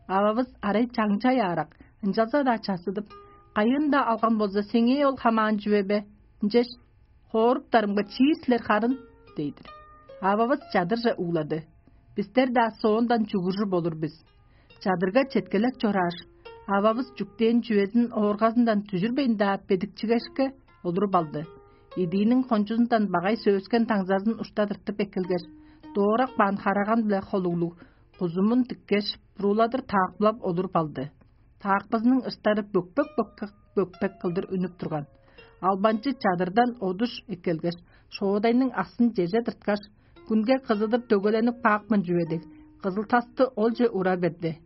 Ававыс арай чаңчай аарак, ынчалза-даа чассыдып: «Кайыын-даа алган болза, сеңээ ол хамаан чүве бе? Ынчаш хооруктарымга чиир силер харын» – дей-дир. Ававыс чадырже уулады. Бистер-даа соондан чугуржуп олур бис. Чадырга четкелек чорааш, ававыс чүктээн чүвезин ооргазындан дүжүрбейн-даа бедикчигешке олуруп алды. Идииниң кончузундан багай сөөскен таңзазын ушта тыртып эккелгеш, доорак баан хараган-биле холуглуг кузумун тиккеш, бурууладыр таакпылап олуруп алды. Таакпызының ыштары бөкпек-бөкпек кылдыр үнүп турган. Албанчы чадырдан одуш эккелгеш, шоодайның аксын чеже тырткаш, күнге кызыдып дөгеленип каапкан чүве дег, кызыл тасты олче ура берди.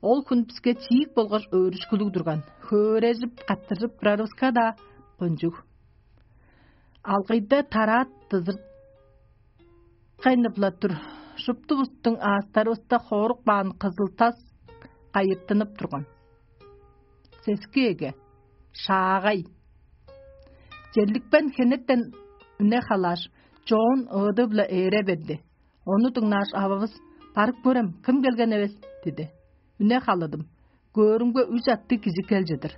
Ол хүн биске чиик болгаш өөрүшкүлүг турган, хөөрежип, каттыржып турарывыска-даа кончуг. Алгыйда тараат дызырткайнып-ла тур, шуптувустуң аастарывыста хоорук баан кызыл тас кайыртынып турган. Сески эге, шаагай. Черликпен хенертен үне халааш, чоон ыыды-биле ээре берди. Ону дыңнааш, ававыс: «Барып көрем, кым келген эвес?» – диди. Үне халадым. Көөрүмге, үш аттыг кижи кел чыдыр.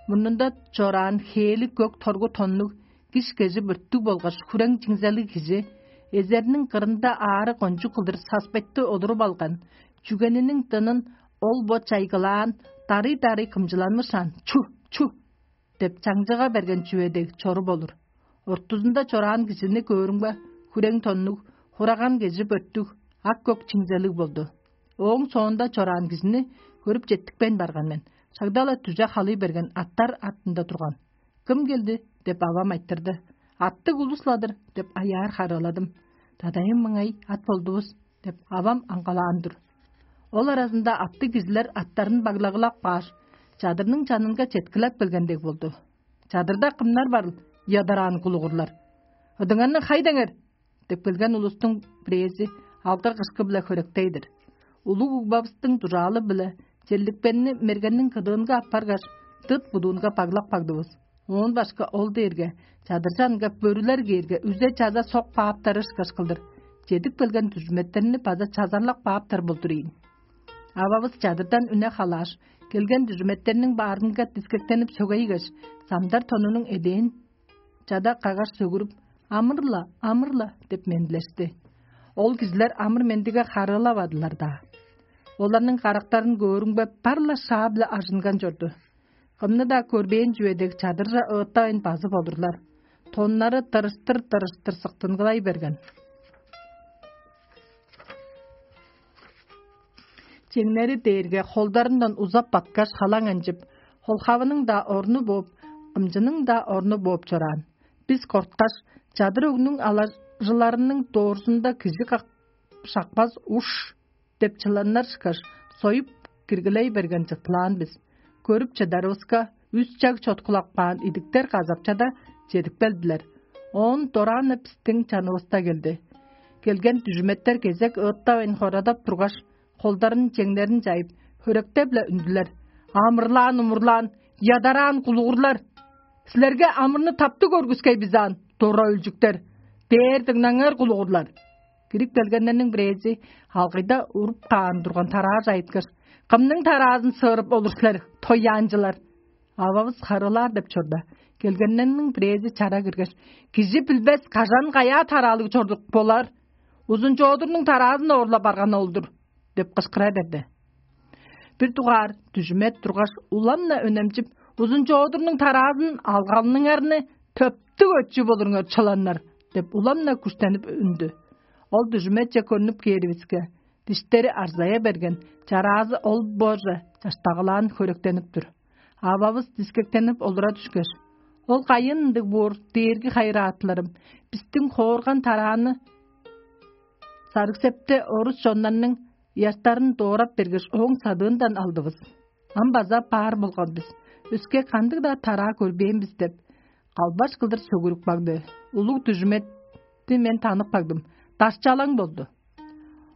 Мурнунда чораан хээли көк торгу тоннуг, киш кежи бүрттүг болгаш хүрең чиңзелиг кижи, эзерниң кырында аары кончуг кылдыр саспетти олуруп алган, чүгениниң дынын ол бо чайгылаан, дарый-дарый кымчыланмышаан: «Чу, чу!» – деп чаңчыга берген чүве дег чоруп олур. Ортузунда чораан кижини көөрүмге, хүрең тоннуг, хураган кежи бөрттүг, ак-көк чиңзелиг болду. Ооң соонда чораан кижини көрүп четтикпейн барган мен. Шагда-ла дүже халый берген аттар артында турган. «Кым келди?» – деп авам айтырды. «Аттыг улус-ла-дыр» – деп аяар харыыладым. «Дадайым мыңай ат болдувус» – деп авам аңгалаан тур. Ол аразында аттыг кижилер аттарын баглагылап кааш, чадырның чанынга четкилеп келген дег болду. «Чадырда кымнар барыл, ядараан кулугурлар? Ыдыңарны хай деңер!» – деп келген улустуң бирээзи алгы-кышкы-биле хөректей-дир. Улуг угбавыстың дужаалы-биле черликпенни мергенниң кыдыынга аппаргаш, дыт будуунга баглап кагдывыс. Оон башка ол дээрге чадыржанга бөрүлер кээрге, үзе чаза сок бааптары ышкаш кылдыр, чедип келген дүжүметтерни база чазарлап бааптар болдур ийин. Ававыс чадырдан үне халааш, келген дүжүметтерниң баарынга дискектенип сөгейгеш, самдар тонунуң эдээн чада кагаш сөгүрүп: «Амыр-ла, амыр-ла» – деп мендилешти. Ол кижилер амыр-мендиге харыылавадылар-даа. Оларның карактарын көөрүмге, бар-ла шаа-биле ажынган чорду. Кымны-даа көрбээн чүве дег чадырже ыыттавайн базып олурлар. Тоннары тырыштыр-тырыштыр сыктынгылай берген. Чеңнери дээрге холдарындан узап баткаш, халаң анчып, холхавының-даа орну бооп, кымчының-даа орну бооп чораан. Бис корткаш, чадыр өгнүң алажыларының доорзунда кижи как-, шакпас уш деп чыланнар ышкаш, союп киргилей берген чыттылаан бис. Көрүп чыдарывыска, үс чаг чоткулап каан идиктер казапчада чедип келдилер. Оон дораан-на бистиң чанывыста келди. Келген дүжүметтер кезек ыыттавайн хорадап тургаш, холдарын, чеңнерин чайып, хөректеп-ле үндүлер: «Амырлаан-умурлаан, ядараан кулугурлар! Силерге амырны таптыг көргүскей бис аан, дора өлчүктер! Бээр дыңнаңар, кулугурлар!» Кирип келгеннерниң бирээзи алгыйда уруп каан турган тарааже айыткаш: «Кымның тараазын сыырып олур силер, тояанчылар?» Ававыс харыылаар деп чорда, келгеннерниң бирээзи чара киргеш: «Кижи билбес, кажан каяа тараалыг чордук болар? Узун-чоодурнуң тараазын оорлап барган ол-дур!» – деп кышкыра берди. Бир дугаар дүжүмет тургаш, улам-на өнемчип: «Узун-чоодурнуң тараазын алганыңарны төптүг өчү болуруңар, чыланнар!» – деп, улам-на күштенип үндү. Ол дүжүметче көрнүп кээривиске, диштери арзая берген, чараазы ол боорже чаштагылаан хөректенип тур. Ававыс дискектенип олура дүшкеш: «Ол кайын ындыг боор, дээрги хайыраатыларым? Бистиң хоорган тарааны Сарыг-Септе орус чоннарның ыяштарын доорап бергеш, ооң садыындан алдывыс. Ам база баар болган бис. Өске кандыг-даа тараа көрбээн бис» – деп, калбаш кылдыр сөгүрүп кагды. Улуг дүжүметти мен танып кагдым. Дашчалаң болду.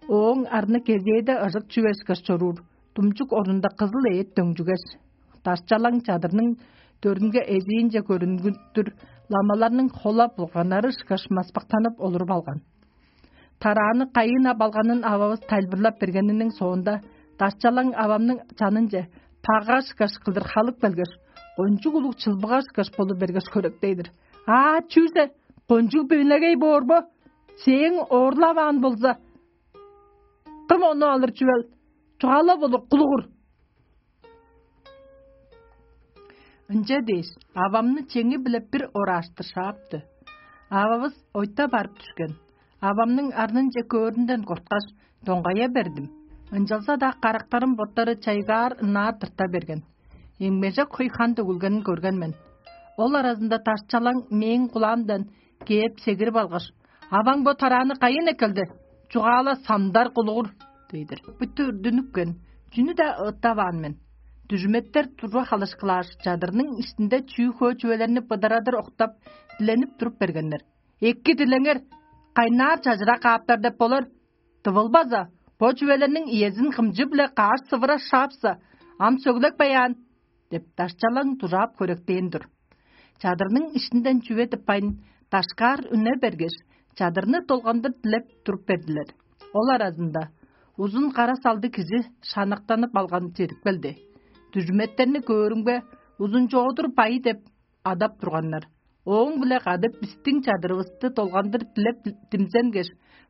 Ооң арны кезээде ыжык чүве ышкаш чоруур, думчук орнунда кызыл эът дөңчүгеш, дашчалаң чадырның дөрүнге эжиинче көрүнгүттүр, ламаларның хола-булганнары ышкаш маспактанып олуруп алган. Тарааны кайыын ап алганын ававыс тайылбырлап бергениниң соонда, дашчалаң авамның чанынче пага ышкаш кылдыр халып келгеш, кончуг улуг чылбыга ышкаш болуп бергеш, хөректей-дир: «Аа, чүзел, кончуг бөмегей боор бо? Сээң оорлаваан болза, кым ону алыр чүвел? Чугаалап олур, кулугур!» Ынча дээш, авамны чеңи-биле бир орааштыр шаапты. Ававыс ойта барып дүшкен. Авамның арнынче көөрүнден корткаш, доңгая бердим. Ынчалза-даа карактарым боттары чайгаар ынаар тырта берген. Эңмежек хөй хан төгүлгенин көрген мен. Ол аразында дашчалаң мээң кулаамдан кээп сегирип алгаш: «Аваң бо тарааны кайыын эккелди? Чугаала, самдар кулугур!» – дей-дир. Бүттү үрдүнүпкен, чүнү-даа ыыттаваан мен. Дүжүметтер турба халышкылааш, чадырның иштинде чүү-хөө чүвелерни быдарадыр октап, диленип туруп бергеннер: «Эки дилеңер, кайнаар чажыра кааптар деп болар. Тывылбаза, бо чүвелерниң иезин кымчы-биле каш сывыра шаапса, ам сөглеп каяан» – деп, дашчалаң дужаап хөректээр-дир. Чадырның иштинден чүве тыппайн, дашкаар үне бергеш, чадырны долгандыр дилеп туруп бердилер. Ол аразында узун кара салдыг кижи шанактанып алган чедип келди. Дүжүметтерни көөрүмге, Узунчоодур бай деп адап турганнар. Ооң-биле кады бистиң чадырывысты долгандыр дилеп димзенгеш,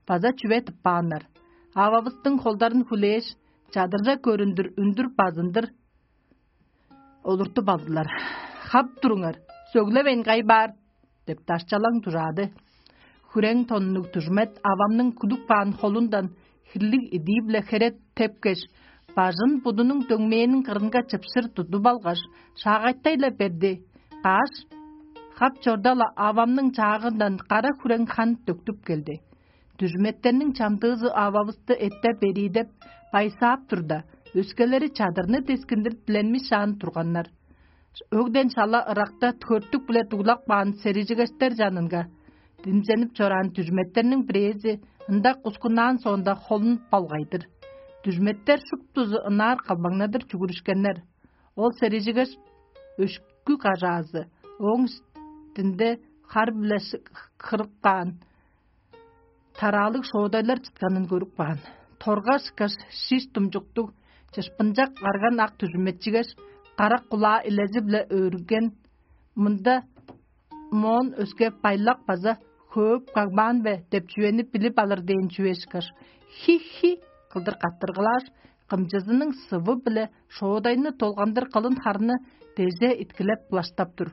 база чүве тыппааннар. Ававыстың холдарын хүлээш, чадыржа көрүндүр үндүр базындыр олуртуп алдылар. «Хап туруңар, сөглевейн кай баар?» — деп дашчалаң дужаады. Хүрең тоннуг дүжмет авамның кудуп каан холундан хирлиг идии-биле хере тепкеш, бажын будунуң дөңмээнин кырынга чыпшыр тудуп алгаш, шаагайтай-ла берди. Кааш, хап чорда-ла авамның чаагындан кара хүрең хан төктүп келди. Дүжметтерниң чамдыызы ававысты эттеп эриидеп, байсаап турда, өскелери чадырны дескиндир диленмишаан турганнар. Өгден шала ыракта хөртүк-биле дуглап каан серижигештер чанынга димзенип чораан дүжметтерниң бирээзи ында кускуннаан соонда холун болгай-дыр. Дүжметтер шуптузу ынаар калбаңнадыр чүгүрүшкеннер. Ол серижигеш өшкү кажаазы ооң үстүнде хар-биле хырып каан тараалыг шоодайлар чытканын көрүп каан. Торгаш ышкаш шиш думчуктуг, чышпынчак арган ак дүжүмечигеш, карак кулаа илези-биле өөрүнген. Мында моон өске байлак база хөөп кагбаан бе деп чүвени билип алыр дээн чүве ышкаш, хи-хи кылдыр каттыргылааш, кымчызының сывы-биле шоодайны долгандыр кылын харны деже иткилеп булаштап тур.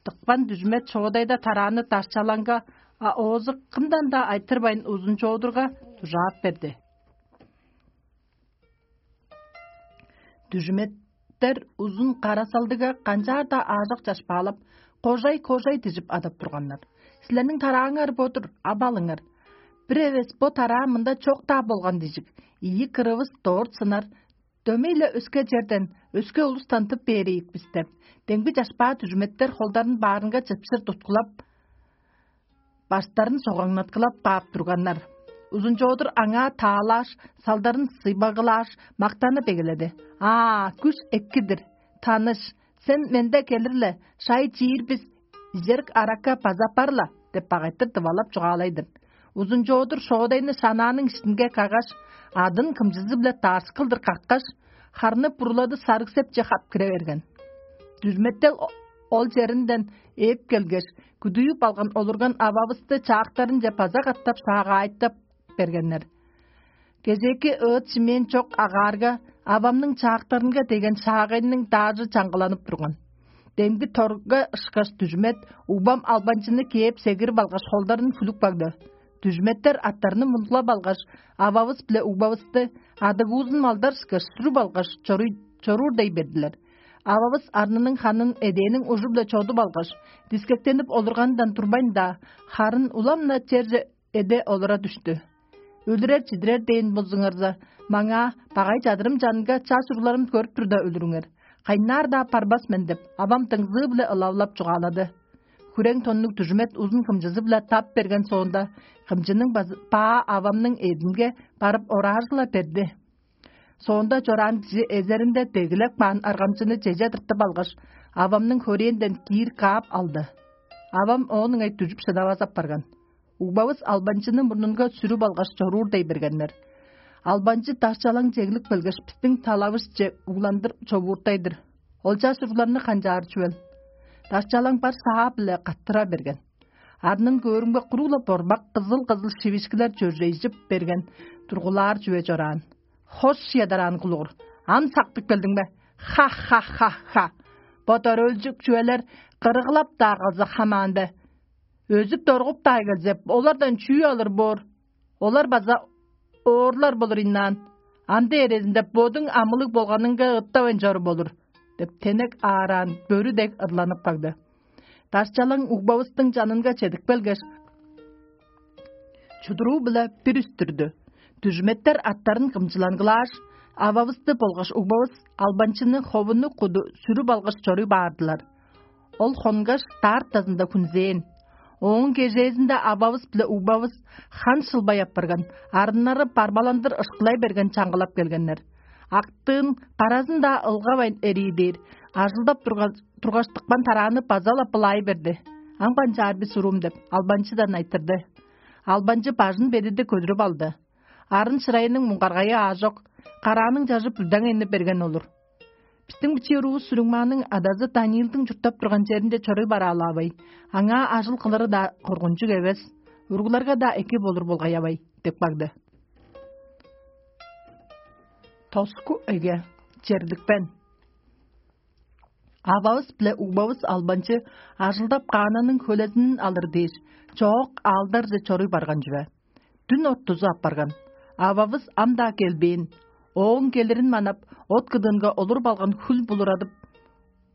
Дыкпан дүжмет шоодайда тарааны дашчалаңга, а оозу кымдан-даа айтырбайн узун чоодурга дужаап берди. Дүжүметтер узун карасалдыга канчаар-даа аажок чашпаалап, кожай-кожай дижип адап турганнар. «Силерниң тарааңар бо-дур, ап алыңар. Бир эвес бо тараа мында чок-даа болган дижик, ийи кырывыс дорт сынар, дөмей-ле өске черден, өске улустан тып бээр ийик бис» деп, демги чашпаа дүжүметтер холдарын баарынга чыпшыр туткулап, баштарын согаңнаткылап каап турганнар. Узунчоодур аңаа таалааш, салдарын сыйбагылааш, мактанып эгеледи: «Аа, күш эки-дир, таныш, сен менде келир-ле, шай чиир бис, ижерик аракка база аппар-ла» — деп багайтыр дывалап чугаалай-дыр. Узунчоодур шоодайны шанааның иштинге каггаш, адын кымчызы-биле дааршкылдыр каккаш, харны бурулады сарыг-сепче хап кире берген. Дүжметтел о-, ол черинден ээп келгеш, күдүйүп алган олурган ававысты чаактарынче база катап шаагаайтап бергеннер. Кезээки ыыт-шимээн чок агаарга, авамның чаактарынга деген шаагайның даажы чаңгыланып турган. Демги торга ышкаш дүжмет угбам албанчыны кээп сегирип алгаш, холдарын хүлүп кагды. Дүжметтер аттарны мундулап алгаш, ававыс биле угбавысты адыгуузун малдар ышкаш сүрүп алгаш, чоруур дей бердилер. Ававыс арнының ханын эдээниң ужу-биле чодуп алгаш, дискектенип олурганындан турбайн-даа, харын улам-на черже эде олура дүштү. Өлүрер-чидирер дээн болзуңарза, маңаа багай чадырым чанынга чаш уругларым көрүп турда өлүрүңер. Кайнаар-даа барбас мен деп, авам дыңзыы-биле ылавылап чугаалады. Хүрең тоннуг дүжүмет узун кымчызы-биле тап берген соонда, кымчының базы баа авамның эъдинге барып ораажыла берди. Соонда чораан кижи эзеринде дегилеп каан аргамчыны чеже тыртып алгаш, авамның хөрээнден киир каап алды. Авам оон ыңай дүжүп шыдавас апарган. Угбавыс албанчыны мурнунга сүрүп алгаш, чоруур дей бергеннер. Албанчы дашчалаң чеглип келгеш, бистиң талавышче угландыр човууртай-дыр. Ол чаш уругларны канчаар чүвел? Дашчалаң бар саа-биле каттыра берген. Арнын көөрүмге куруг-ла борбак кызыл-кызыл шивишкилер чөржейжип берген тургулаар чүве чораан. Хош ядараан кулугур, ам сактып келдиң бе? Ха-ха-ха-ха! Бо дөрөөлчүк чүвелер кырыгылап-даа калза хамаан бе? Өзүп-доргуп-даа келзе, олардан чүү алыр боор? Олар база оорлар болур ийнаан. Ам дээрезинде бодуң амылыг болганыңга ыттавайн чору болур» — деп, тенек аараан бөрү дег ырланып кагды. Дашчалаң угбавыстың чанынга чедип келгеш, чудуруу-биле бир үстүрдү. Дүжүметтер аттарын кымчылангылааш, ававысты болгаш угбавыс албанчыны ховуну куду сүрүп алгаш чоруй баардылар. Ол хонгаш, даарт дазында хүнзээн. Ооң кежээзинде ававыс биле угбавыс хан шылбай апарган, арыннары барбаландыр ышкылай берген чаңгылап келгеннер. Актыын, каразын-даа ылгавайн эрии дээр, ажылдап турга-, тургаш, тыпкан тарааны база-ла былаай берди. «Ам канчаар бис, уруум?» — деп, албанчыдан айтырды. Албанчы бажын бедиди көдүрүп алды. Арын шырайының муңгаргайы аажок, карааның чажы бүлдең эни берген олур. Бистиң бичии уруувус Сүрүңмааның адазы Даниилдиң чурттап турган черинче чоруй бараалаавай, аңаа ажыл кылыры-даа коргунчуг эвес, уругларга-даа эки болур болгай авай» – деп кагды. Тоску эге, черликпен. Ававыс биле угбавыс албанчы ажылдап каананың хөлезинин алыр дээш, чоок аалдарже чоруй барган чүве. Дүн оттузу апарган. Ававыс ам-даа келбээн. Ооң келирин манап, от кыдыынга олуруп алган хүл булурадып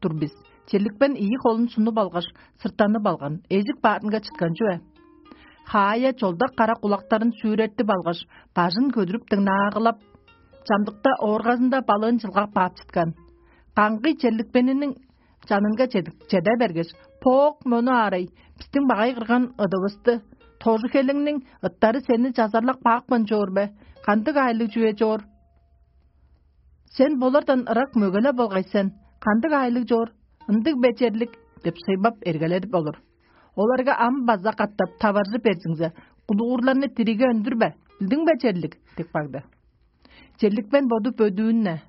тур бис. Черликпен ийи холун сунуп алгаш, сыртанып алган, эжик баарынга чыткан чүве. Хаая чолдак кара кулактарын сүүрертип алгаш, бажын көдүрүп дыңнаагылап, чамдыкта ооргазында балыын чылгап каап чыткан. Каңгый черликпениниң чанынга чеде бергеш: «Поок мону аарай, бистиң багай кырган ыдывысты, тожу-хелеңниң ыттары сени чазарлап каапкан чоор бе? Кандыг аайлыг чүве чоор? Сен болардан ырак мөгеле болгай сен. Кандыг аайлыг чоор? Ындыг бе, черлик?» – деп сыйбап эргеледип олур. Оларга ам база катап таваржы берзиңзе, кулуурларны дириге өндүрбе, билдиң бе, черлик? – деп кагды. Черликпен боду бөдүүн-не.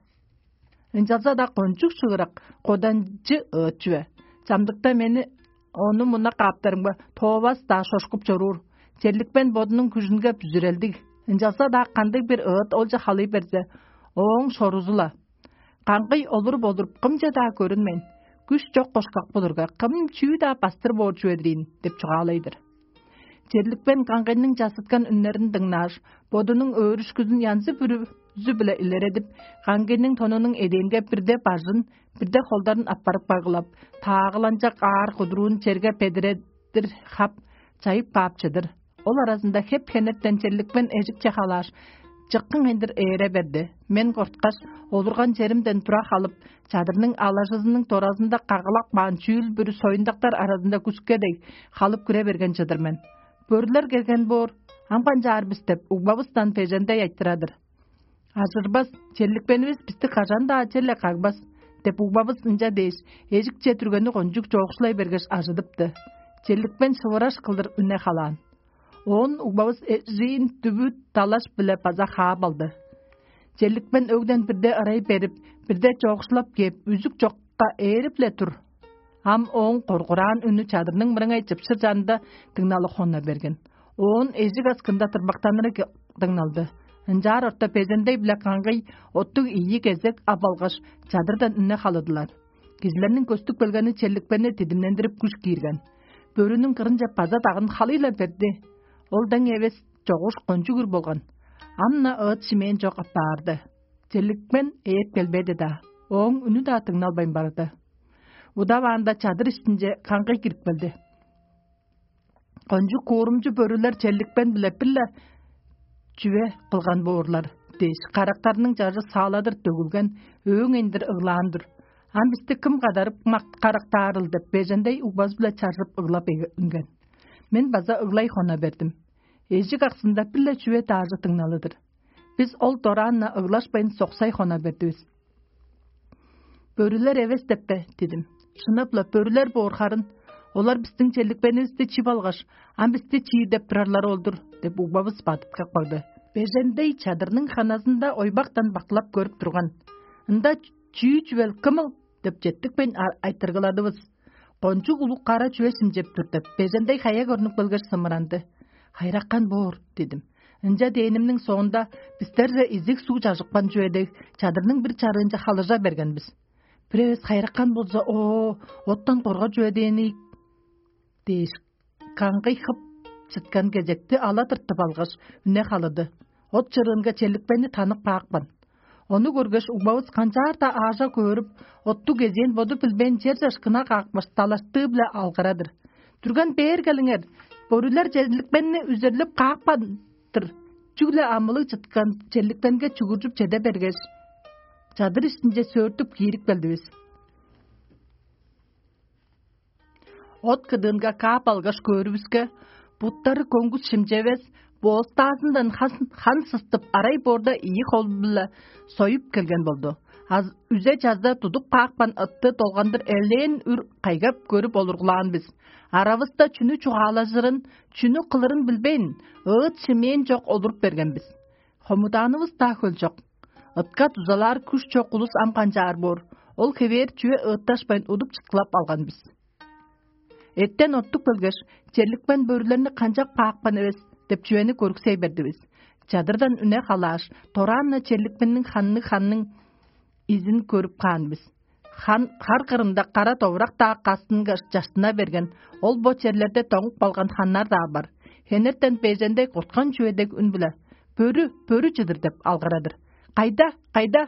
Ынчалза-даа кончуг шыырак, коданчы ыыт чүве. Чамдыкта мени ону муна кааптарымга тоовас-даа шошкуп чоруур. Черликпен бодунуң күжүнге бүзүрелдиг. Ынчалза-даа кандыг-бир ыыт олче халый берзе, ооң шорузу-ла. Каңгый олуруп-олуруп, кымче-даа көрүнмейн, күш чок кошкак болурга, кым чүү-даа бастыр боор чүве-дир ийин деп чугаалай-дыр. Черликпен каңгыйның чазыткан үннерин дыңнааш, бодунуң өөрүшкүзүн янзы-бүрүзү-биле илередип, каңгыйның тонунуң эдээнге бирде бажын, бирде холдарын аппарып кагылап, таагыланчак аар кудуруун черге бедиредир хап, чайып каап чыдыр. Ол аразында хеп-хенертен черликпен эжикче халааш, чыккың ындыр ээре берди. Мен корткаш, олурган черимден тура халып, чадырның алажызының доразында кагылап каан чүүл-бүрү союндактар аразында күске дег халып кире берген чыдыр мен. Бөрүлер келген боор, ам канчаар бис деп, угбавыстан бежендей айтырар-дыр. «Ажырбас, черликпенивис бисти кажан-даа черле кагбас» – деп, угбавыс ынча дээш, эжикче дүргени кончуг чоокшулай бергеш, ажыдыпты. Черликпен шывыраш кылдыр үне халаан. Оон угбавыс эжиин дүвүт далаш-биле база хаап алды. Черликпен өгден бирде ырай берип, бирде чоокшулап кээп, үзүк чокка ээрип-ле тур. Ам ооң коргураан үнү чадырның мырыңай чыпшыр чанында дыңналы хонна берген. Оон эжик аскында тырмактаныры дыңналды. Ынчаар орта бежендей-биле каңгый оттуг ийи кезек ап алгаш, чадырдан үне халыдылар. Кижилерниң көстүп келгени черликпени дидимнендирип күш киирген. Бөрүнүң кырынче база дагын халый-ла берди. Ол дең эвес чогуш кончуг үр болган. Ам-на ыыт шимээн чок аппаарды. Черликпен ээп келбеди-даа. Ооң үнү-даа дыңналбайн барды. Удаваанда чадыр иштинче каңгый кирип келди. «Кончуг куурумчу бөрүлер черликпен-биле бир-ле чүве кылган боорлар» – дээш, карактарының чажы сааладыр төгүлген, өөң эндир ыглаан-дыр. «Ам бисти кым кадарып карактаарыл?» – деп, бежендей угбазы-биле чаржып ыглап үнген. Мен база ыглай хона бердим. Эжик аксында бир-ле чүве даажы дыңналы-дыр. Бис ол дораан-на ыглашпайн соксай хона бердивис. «Бөрүлер эвес деп бе?» – дидим. «Шынап-ла, бөрүлер боор харын. Олар бистиң черликпенивисти чип алгаш, ам бисти чиир деп турарлар ол-дур» – деп, угбавыс бадыткап кагды. Бежендей чадырның ханазында ойбактан бакылап көрүп турган. «Ында чүү чүвел кымыл?» – деп четтикпейн айтыргыладывыс. «Кончуг улуг кара чүве шимчеп тур» – деп, бежендей хая көрнүп келгеш, сымыранды. «Хайраккан боор» – дидим. Ынча дээнимниң соонда бистерже изиг суг чажыпкан чүве дег, чадырның бир чарыынче халыжа берген бис. Бир эвес хайраккан болза, оо, оттан коргар чүве дээн ийик дээш, каңгый хып чыткан кезекти ала тыртып алгаш, үне халыды. От чырыынга черликпени танып каапкан. Ону көргеш, угбавыс канчаар-даа аажа көөрүп, оттуг кезээн боду билбээн черже ышкына каапкаш, далаштыы-биле алгырадыр. «Дүрген бээр келиңер, бөрүлер черликпенни үзерлеп каапкан-дыр». Чүгле амылыг чыткан черликпенге чугуржуп чеде бергеш, чадыр иштинче сөөртүп киирип келдивис. От кыдыынга каап алгаш көөрүвүске, буттары көңгүс шимчевес, боостаазындан хан, хан сыстып, арай боорда ийи хол-биле союп келген болду. Үзе-чазда тудуп каапкан ытты долгандыр элээн үр кайгап көрүп олургулаан бис. Аравыста чүнү чугаалажырын, чүнү кылырын билбейн, ыыт шимээн чок олуруп берген бис. Хомудаанывыс-даа хөл чок. Ытка дузалаар күш чок улус ам канчаар боор? Ол хевээр чүве ыытташпайн удуп чыткылап алган бис. Эттен оттук келгеш, черликпен бөрүлерни канчап каапкан эвес деп чүвени көрүксей бердивис. Чадырдан үне халааш, дораан-на черликпенниң ханны ханның изин көрүп каан бис. Хан хар кырында кара довурак-даа кастынгаш чаштына берген, ол бо черлерде доңуп калган ханнар-даа бар. Хенертен бежендей куткан чүве дег үн-биле: «Бөрү, бөрү чыдыр!» — деп алгырадыр. «Кайда, кайда?»